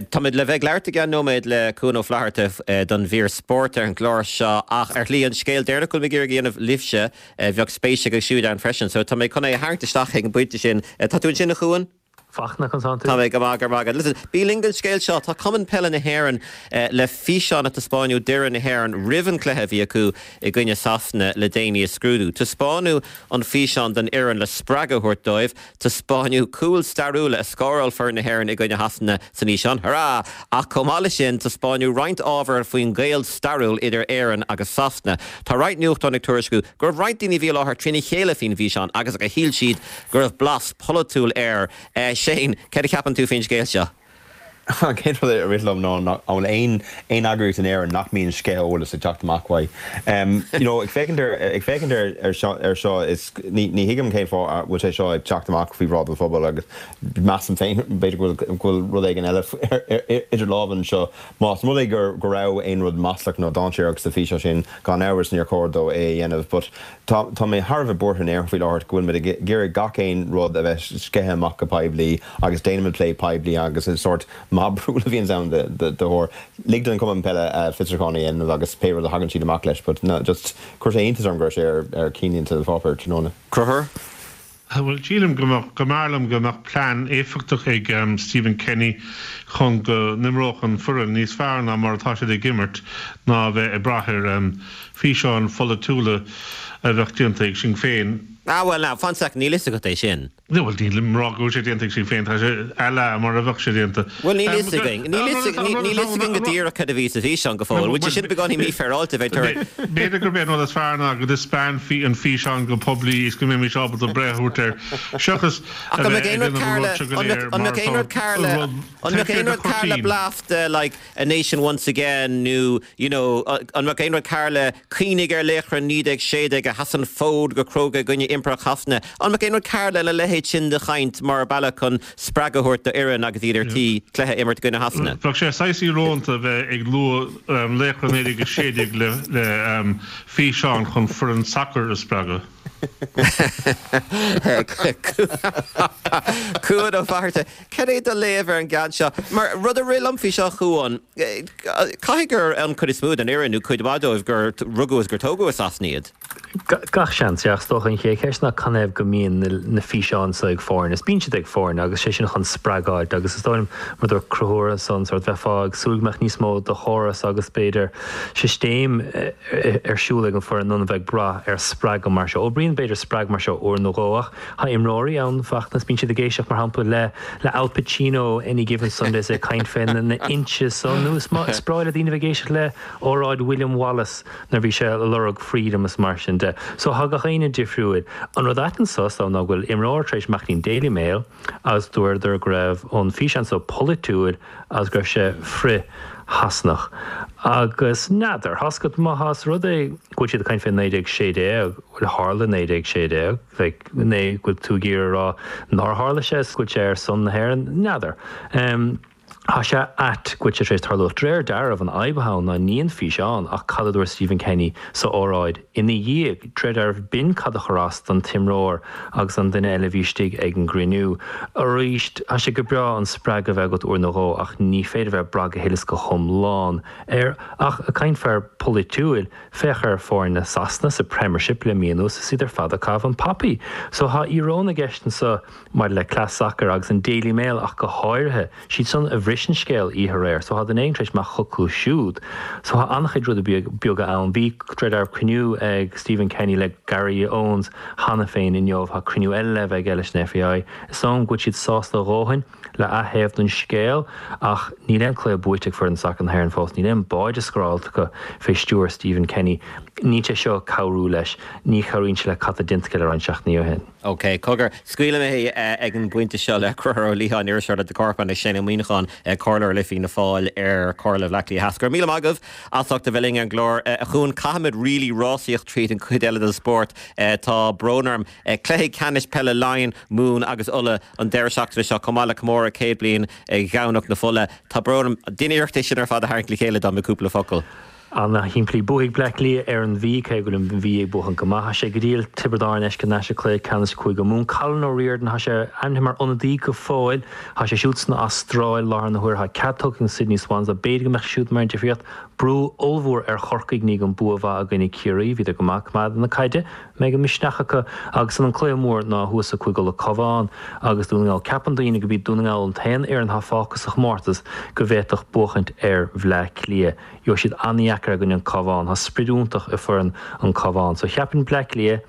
táimid le bheith ag labhairt i gceann nóiméad le Cuan Ó Flatharta don mhír spóirt ar an gclár seo ach ar shlí an scéal deireanach go bhfuil mé ag iarraidh a dhéanamh libhse, bheadh spéis aige siúd ann freisin. So tá mé chun é a tharraingt isteach ag an bpointe sin. Tá tú ansin a Chuain? Fachtna, conas tánn tú? Tá mé go maith, go raibh maith agat. Listen, bí linn don scéal seo. Tá Cumann Peile na hÉireann le físeán a taispeáineadh d'fhoireann na hÉireann roimh an cluiche a bhí acu i gcoinne Sasana le déanaí a scrúdú. Taispeáineadh an físeán don fhoireann le spreagadh a thabhairt dóibh. Taispeáineadh cúil stairiúla a scóráil foireann na hÉireann i gcoinne Shasana san fhíseán. Hurrah! Ach chomh maith leis sin, taispeáineadh roinnt ábhair faoin ghaol stairiúil idir Éirinn agus Sasana. Tá roinnt nuachtán ag tuairisciú go raibh roinnt daoine a bhí i láthair trína chéile faoin bhfíseán agus gur shíl siad go raibh blas polaitiúil air. Shane, céard a cheapann tú faoin scéal seo? An chéad rud a rith liom ná an bhfuil aon aon eagraíocht in Éirinn nach mbíonn sceitheadh eolais ag teacht amach uaidh. You know, ag féachaint ar ag féachaint ar ar seo ar seo is ní ní thuigim cén fáth a bhfuil sé seo ag teacht amach faoi bhráid an phobail agus measaim féin b'fhéidir go bhfuil go bhfuil rud éigin eile idir lámha anseo. Más rud é gur go raibh aon rud maslach nó dainséarach sa físeán sin, gan amhras níor chóir dó é a dhéanamh but Tá, tá mé thar a bheith buartha in Éirinn faoi láthair go bhfuil muid ag iarraidh gach aon rud a bheith sceithe amach go poiblí agus déanaimid plé poiblí agus is sórt mob rule a bhíonns ann de, de, de shórt. Lig don Chumann Peile fiosrúchán a dhéanamh agus pé rud a thagann siad amach leis but no, just chuir sé iontas orm go raibh sé ar, ar cinnlínte an pháipéir tráthnóna. Conchúr? Bhuel, sílim go mbeadh, go mb'fhearr liom go mbeadh plean éifeachtach ag Stephen Kenny chun go n-imreodh an foireann níos fearr ná mar atá siad ag imirt ná a bheith ag brath ar físeáin pholaitiúla. a bheadh déanta ag Sinn Féin. Ah bhuel now, fan sec, níl fhios agat é sin. Bhuel, nílim ag rá go bhfuil sé déanta ag Sinn Féin, tá sé à la mar a bheadh sé déanta. Bhuel, níl fhios againn, níl fhios againn go díreach cad a bhí sa bhfíseán go fóill. Bhfuil sé sin beagáinín mífhéaráilte bheith tar. B'fhéidir gurb é an rud is fearr ná go dtaispeánfaí an físeán go poiblí is go mbeimis ábalta breith a thabhairt air, seachas a bheith ag déanamh an rud seo go léir mar atá rud An mbeadh aon rud cearr le blas de like A Nation Once Again nó you know an mbeadh aon rud cearr le cuimhnigh ar laochra 1916 a sheas an fód go cróga i gcoinne Impireacht Shasana, an mbeadh aon rud cearr lena leithéid sin de chaint mar bealach chun spreagadh a thabhairt do fhoireann agus iad ar tí cluiche a imirt i gcoinne Shasana? Bheadh sé saghas íorónta bheith ag lua laochra 1916 le físeán chun foireann sacair a spreagadh. Cuan Ó Fatharta, Cad é do léamh ar an gceann seo? Mar rud a rith liom faoi seo, a Chuain, caithfidh gur an chuid is mó den fhoireann, nó cuid mhaith dóibh, gur rugadh is gur tógadh i Sasana iad. Gach seans, yeah. Ach is dócha an chéad cheist ná canathaobh go mbíonn na físeáin seo ag foirne. Is bíonn siad ag foirne agus sé sin chun spreagáilt agus is dóigh liom, mar a dúirt Conchúr ansan, sórt bheifeá ag súil go mbeadh níos mó de chóras agus b'fhéidir sistéim ar siúl ag an foireann ná a bheith ag brath ar spreagadh mar seo. Oibríonn b'fhéidir spreagadh mar seo uair nó dhó ach Tá imreoirí ann, Fachtna, is bíonn siad ag éisteacht, mar shampla, le le Al Pacino Any Given Sunday is é ag caint fé na inches san, nó is is breá le daoine a bheith ag éisteacht le óráid William Wallace nuair a bhí sé ag lorg freedom is mar sin de. So tá gach éinne difriúil. An rud ait anso is dóigh ná go bhfuil imreoir tar éis imeacht go dtí an Daily Mail agus dúradar go raibh an físeán so polaitiúil agus go raibh sé frith Shasanach. Agus n'fheadar, tá 's agat má más rud é go bhfuil siad ag caint fé 1916, bhuel tharla 1916, like, nó go bhfuil tú ag iarraidh a rá nár tharla sé is go bhfuil sé ar son na hÉireann, n'fheadar. Tá sé ait go bhfuil sé tar éis tarlú ach de réir dealraimh an fhadhb atá ann ná ní an físeán ach cad a dúirt Stephen Kenny sa óráid ina dhiaidh. De réir dealraimh b'in cad a chuir as don t-imreoir agus an duine eile a bhí istigh ag an gcruinniú. Arís, tá sé go breá an spreagadh a bheith agat uair nó dhó ach ní féidir a bheith ag brath go huile is go hiomlán air. Ach ag caint fear polaitiúil, féach ar foirne Sasana sa Premiership le mí anuas is iad ar fad ag caitheamh an poppy. So tá íoróin i gceist anseo maidir le cleas sacair agus an Daily Mail ach go háirithe. Siad san a bhris an scéal oíche aréir so tá duine éigin tar éis imeacht chucu siúd. So tá an-chuid rudaí beaga ann. Bhí, de réir dealraimh, cruinniú ag Stephen Kenny le Gary Owens cheana féin inniu. Tá cruinniú eile le bheith aige leis an FAI. Is dóigh liom go bhfuil siad sásta a dhóthain le a thaobh den scéal ach níl aon cluiche buaite ag foireann sacair na hÉireann fós. Níl aon bháide scóráilte acu fé stiúir Stephen Kenny. Níl sé seo ag cabhrú leis. Ní chabhraíonn sé le cad tá déanta aige le roinnt seachtainí ó shin. OK, cogar, scaoilfidh mé ag an bpointe seo le Conchúr Ó Liatháin, iriseoir le The Corkman, agus Shane Ó Muíneacháin, comhairleoir le Fianna Fáil ar Chomhairle Bhaile Átha Cliath Theas. Go raibh míle maith agaibh as ucht a bheith linn ar an gclár. A Chuain, caithfimid really rásaíocht tríd an chuid eile den spórt. Tá brón orm. Cluichí ceannais peile Laighean, Mumhan agus Uladh an deireadh seachtaine seo, chomh maith le comóradh 100 bliain Dhomhnach na Fola. Tá brón orm. Déan iarracht é sin ar fad a tharraingt le chéile dom i gcúpla focal. Ana-shimplí. Buafaidh Bleá Cliath ar an Mhí, cé go bhfuil an Mhí ag buachan go maith. Tá sé go diail Tiobraid Árann a fheiscint anois i gcluiche ceannais Cúige Mumhan. Colin O'Riordan, tá sé ainmnithe mar ionadaí go fóill. Tá sé siúd san Astráil láthair na huaire. Tá cead tugtha ag Sydney Swans dó. B'fhéidir go mbeadh sé siúd mar an difríocht. Brú ollmhór ar Chorcaigh i ndiaidh an bua mhaith i gcoinne Ciarraí. Bhíodar go maith ag coimeád na caide. Mbeidh an misneach acu agus an cluiche mór ná thuas i Cúige Uladh Cabhán agus Dún na nGall. Ceapann daoine gurb iad Dún na nGall an t-aon fhoireann atá fágtha sa chomórtas go bhféadfadh buachaint ar Bhleá Cliath. Gheobhaidh siad an-dheacair i gcoinne an Cabhán. Tá sprid iontach i foireann an Cabhán. So cheapfainn Bleá Cliath.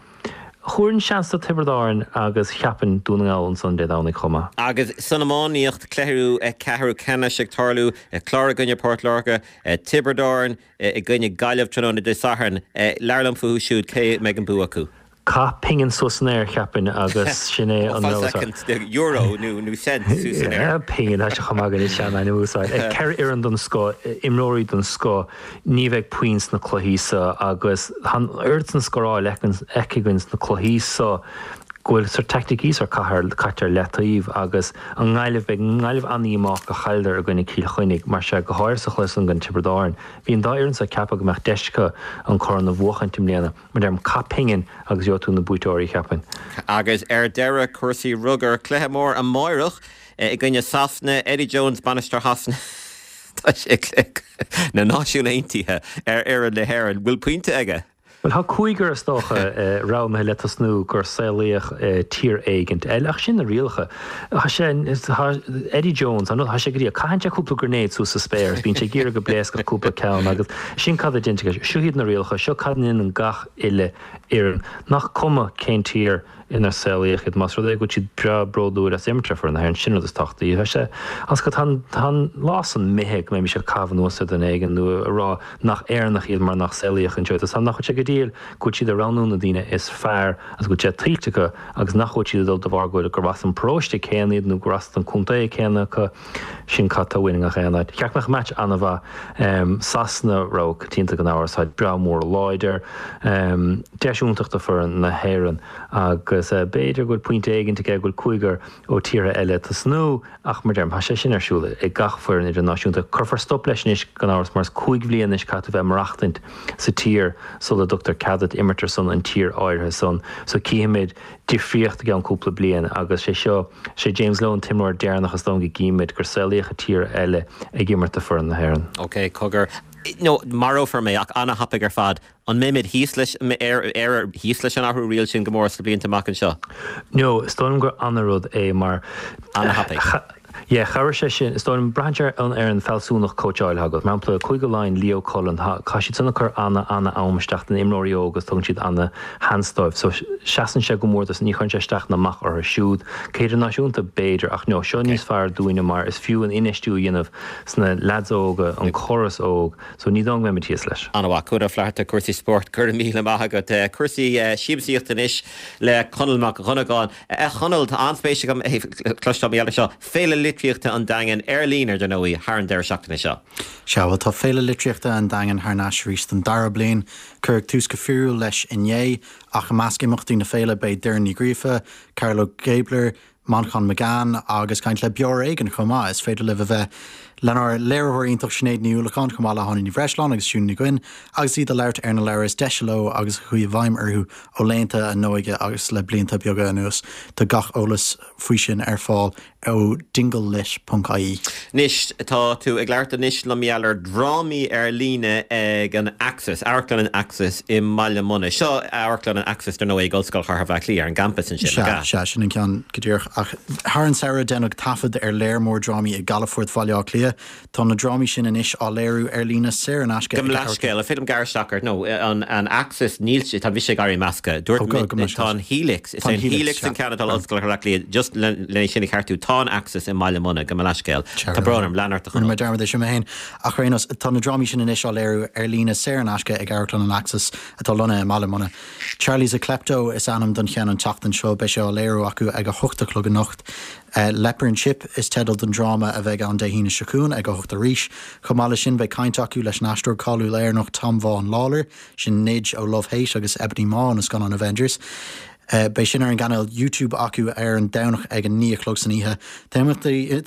Thabharfainn seans do Tiobraid Árann agus cheapfainn Dún na nGall ansan Dé Domhnaigh chomh maith. Agus san iománaíocht, cluiche ceathrú ceannais ag tarlú, Clár i gcoinne Port Láirge, Tiobraid Árann i gcoinne Gaillimh tráthnóna Dé Sathairn. Labhair liom fúthu siúd, cé a mbeidh an bua acu? Caith pingin suas san aer, cheapfainn, agus sin é an rogha is fearr. Euro nó cent suas san aer. Pingin, tá sé chomh maith againn is sean-ainm a úsáid. 4 fhoireann den scoth, imreoirí den scoth, ní bheidh puinn sna cluichí so agus tá an oiread san scóráil feicthe againn sna cluichí so go bhfuil sort teaicticí sort caite ar leataobh agus an nGaillimh, beidh an nGaillimh an-dhíomách gur chailleadar i gcoinne Cill Chainnigh mar sea go háirithe sa chluiche san i gcoinne Tiobraid Árann. Bhí an dá fhoireann so ag ceapadh go mbeadh deis acu an corn a bhuachaint i mbliana. Mar deirim, caith pingin agus gheobhaidh tú na buaiteoirí, cheapfainn. Agus ar deireadh, cúrsaí rugair, cluiche mór amáireach i gcoinne Sasana, Eddie Jones, bainisteoir Shasana, tá sé ag cluiche na Náisiún Aontaithe ar fhoireann na hÉireann. Bhfuil pointe aige? Bhuel, tá cúigear, is dócha, roghnaithe le tosnú gur saolaíodh i tír éigint eile, ach sin na rialacha. Tá sé, tá Eddie Jones, tá sé go dtí, caitheann sé cúpla grenade suas sa spéir is bíonn sé ag iarraidh go bpléascfadh cúpla ceann agus sin cad a deintear leis. Seo iad na rialacha, seo cad a ndéanann gach uile fhoireann. Nach cuma cén tír inar saolaíodh iad, más rud é go bhfuil siad breá bródúil as imirt ar foireann na hÉireann, sin rud is tábhachtaí. Tá sé, agus tá an, tá an lá san imithe go mbeimis ag caitheamh anuas ar dhuine éigin nó ag rá nach Éireannach iad mar nach saolaíodh anseo iad. Tá nach bhfuil sé go diail go bhfuil siad ag roghnú na daoine is fearr agus go bhfuil sé tuillte acu agus nach bhfuil siad ag dul de bharr go bhfuil gur as an paróiste céanna iad nó gur as an contae céanna acu. Sin cad tá uainn i ngach aon áit. Cheart go mbeadh match an-mhaith. Sasana rogha coitianta gan amhras, táid breá mór láidir. Deis iontach do foireann na hÉireann agus b'fhéidir go bhfuil pointe éigint aige go bhfuil cúigear ó tíortha eile ag tosnú ach mar deirim, tá sé sin ar siúl ag gach foireann idirnáisiúnta. Cuirfear stop leis anois gan amhras mar is 5 bhliain anois caithfidh tú bheith ag maireachtaint sa tír sula dtugtar cead duit imirt ar son an tír áirithe san. So cífimid difríocht i gceann cúpla bliain agus sé seo, sé James Lowe an t-imreoir deireanach is dóigh go gcífimid gur saolaíodh i tír eile ag imirt do foireann na hÉireann. Ok, cogar, nó marófar mé ach ana-thapaidh ar fad, an mbeimid thíos leis, Éire thíos leis an athrú riail sin go mór sna blianta amach anseo? No, is dóigh liom gur ana-rud é mar. Ana-thapaidh. Yeah, chabhraigh sé sin. Is dóigh liom, braitheann sé ar an fealsúnacht cóitseáil atá agat. Mar shampla, Cúige Laighean, Leo Cullen, tá siad san ag cur ana, ana am isteach do na imreoirí óga agus tugann siad ana sheans dóibh. So, seasann sé go mór dóibh, ní chuireann sé isteach ná amach orthu siúd. Go hidirnáisiúnta, b'fhéidir, ach no, seo níos fearr dúinne mar is fiú an infheistiú a dhéanamh sna leaids óga, an córas óg. So, ní dóigh go mbeimid thíos leis. Ana-mhaith. Cuan Ó Flatharta, cúrsaí spóirt, go raibh míle maith agat. Cúrsaí siamsaíochta anois le Conall Mac Dhonnagáin. A Chonaill, tá an-spéis agam cloisteáil mar gheall air seo. Féile Litríochta an Daingin, ar líne, ar ndóigh, thar an deireadh seachtaine seo. Sea, bhuel, tá Féile Litríochta an Daingin thar n-ais arís don dara bliain. Cuireadh tús go fíorúil leis inné, ach i measc imeachtaí na féile beidh Doireann Ní Ghríofa, Carlo Gébler, Manchán Magan agus caint le Beo Ar Éigean chomh maith. Is féidir libh a bheith lenár léiritheoir iontach Sinéad Ní Uallacháin chomh maith le hÁine Ní Bhreisleáin agus Siún Ní Dhuinn agus iad ag labhairt ar na leabhair is deise leo agus a chuaigh i bhfeidhm orthu ó laethanta a n-óige agus le blianta beaga anuas. Tá gach eolas faoi sin ar fáil ó dinglelit ponc ie. Anois, tá tú ag labhairt anois liom mar gheall ar dhrámaí ar líne ag an Axis, Amharclann an Axis i mBaile Munna. Seo Amharclann an Axis, dar ndóigh, ag Ollscoil Chathair Bhaile Átha Cliath, ar an gcampas ansin, nach ea? Sea, sea, sin an ceann go díreach. Ach thar an samhradh deineadh taifead ar léar mór drámaí i gcalafort Bhaile Átha Cliath. Tá na drámaí sin anois á léiriú ar líne saor in aisce ag. Gabh mo leithscéal, an féidir liom gearradh isteach ort? No, an Axis, níl, tá mise ag éirí measctha. Dúirt mé, tá an Helix, is é an Helix an ceann atá in Ollscoil Chathair Átha Cliath, just le sin a cheartú, tá an Axis i mBaile Munna, gabh mo leithscéal. Tá brón orm, lean ort a Chonaill. Rinne mé dearmad é sin mé féin. Ach ar aon nós, tá na drámaí sin anois á léiriú ar líne saor in aisce ag Amharclann an Axis atá lonnaithe i mBaile Munna. Charlie's a Klepto is ainm don cheann an tseachtain seo, beidh sé á léiriú acu ag a hocht a chlog anocht. Leper and Chip is teideal don dráma a bheidh ann Dé hAoine seo chugainn ag a hocht arís. Chomh maith leis sin beidh caint acu leis an aisteoir cáiliúil Éireannach Tom Vaughan Lawlor, sin Nidge ó Love Hate agus Ebony Maw ó na scannáin Avengers. Beidh sin ar an gcainéal YouTube acu ar an Domhnach ag a naoi a chlog san oíche. Tá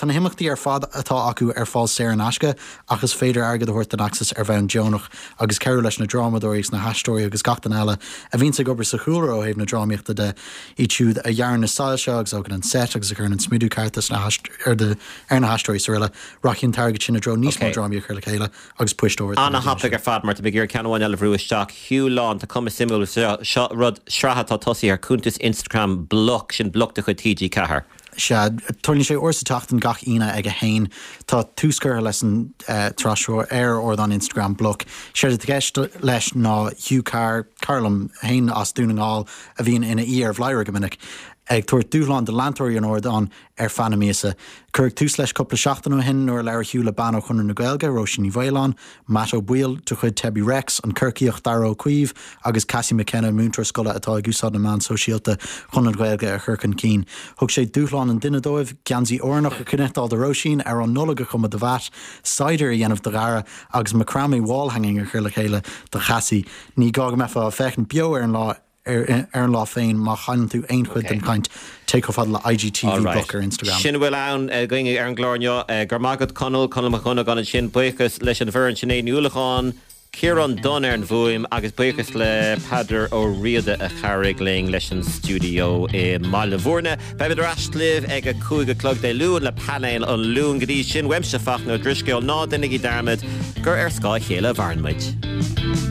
na himeachtaí ar fad atá acu ar fáil saor in aisce ach is féidir airgead a thabhairt don Axis ar bhonn deonach agus cabhrú leis na drámadóirí agus na haisteoirí agus gach duine eile a bhíonns ag obair sa chúlra ó thaobh na drámaíochta de. Iad siúd a dhearann na soilse agus a thógann an seit agus a chuireann an smidiú ceart ar na haisteoirí is araile. Rachaidh an t-airgead sin i dtreo níos mó drámaí a chur le chéile agus poist úra do na daoine sin. Ana-thapaidh ar fad mar tá mé ag iarraidh ceann amháin eile a bhrú isteach. Hugh Lán, tá cuma suimiúil seo, seo rud, sraith atá tosaithe ar cuntas Instagram Bloc, sin Bloc de chuid TG4. Sea, tarlaíonn sé uair sa tseachtain gach Aoine ag a haon. Tá tús curtha leis an tsraith seo ar ardán Instagram Bloc. Séard atá i gceist leis ná Hugh Carr, cara liom féin as Dún na nGall a bhíonn ina aoi ar Bhladhaire go minic, ag tabhairt dúshlán do leantóirí an ardáin ar feadh na míosa. Cuireadh tús leis cúpla seachtain ó shin nuair a labhair Hugh le bean ó Chonradh na Gaeilge, Róisín Ní Mhaoláin, Matt Ó Baoill de chuid Tebi Rex, an Corcaíoch Dara Ó Caoimh agus Cassie McKenna, múinteoir scoile atá ag úsáid na meán sóisialta chun an Ghaeilge a chur chun cinn. Thug sé dúshlán an duine dóibh, geansaí Árannach a chniotáil do Róisín, amhrán Nollag a chumadh do Mhatt, cider a dhéanamh do Dhara agus macrame wall hanging a chur le chéile do Chassie. Ní gá go mbeifeá ag féachaint beo ar an lá ar an lá féin má chailleann tú aon chuid den chaint, téigh chomh fada le IGTV Bloc ar Instagram. Sin a bhfuil ann againn ar an gclár inniu. Go raibh maith agat Conall, Conall Mac Dhonnagáin ansin. Buíochas leis an bhfoireann, Sinéad Ní Uallacháin, Ciarán Dunne ar an bhfuaim agus buíochas le Peadar Ó Riada a chabhraigh linn leis an stiúideo i mBaile Bhúirne. Beimid ar ais libh ag a 5 a chlog Dé Luain le Painéal an Luain. Go dtí sin, uaimse Fachtna Ó Drisceoil, ná déanaigí dearmad gur ar scáth a chéile a mhaireann muid.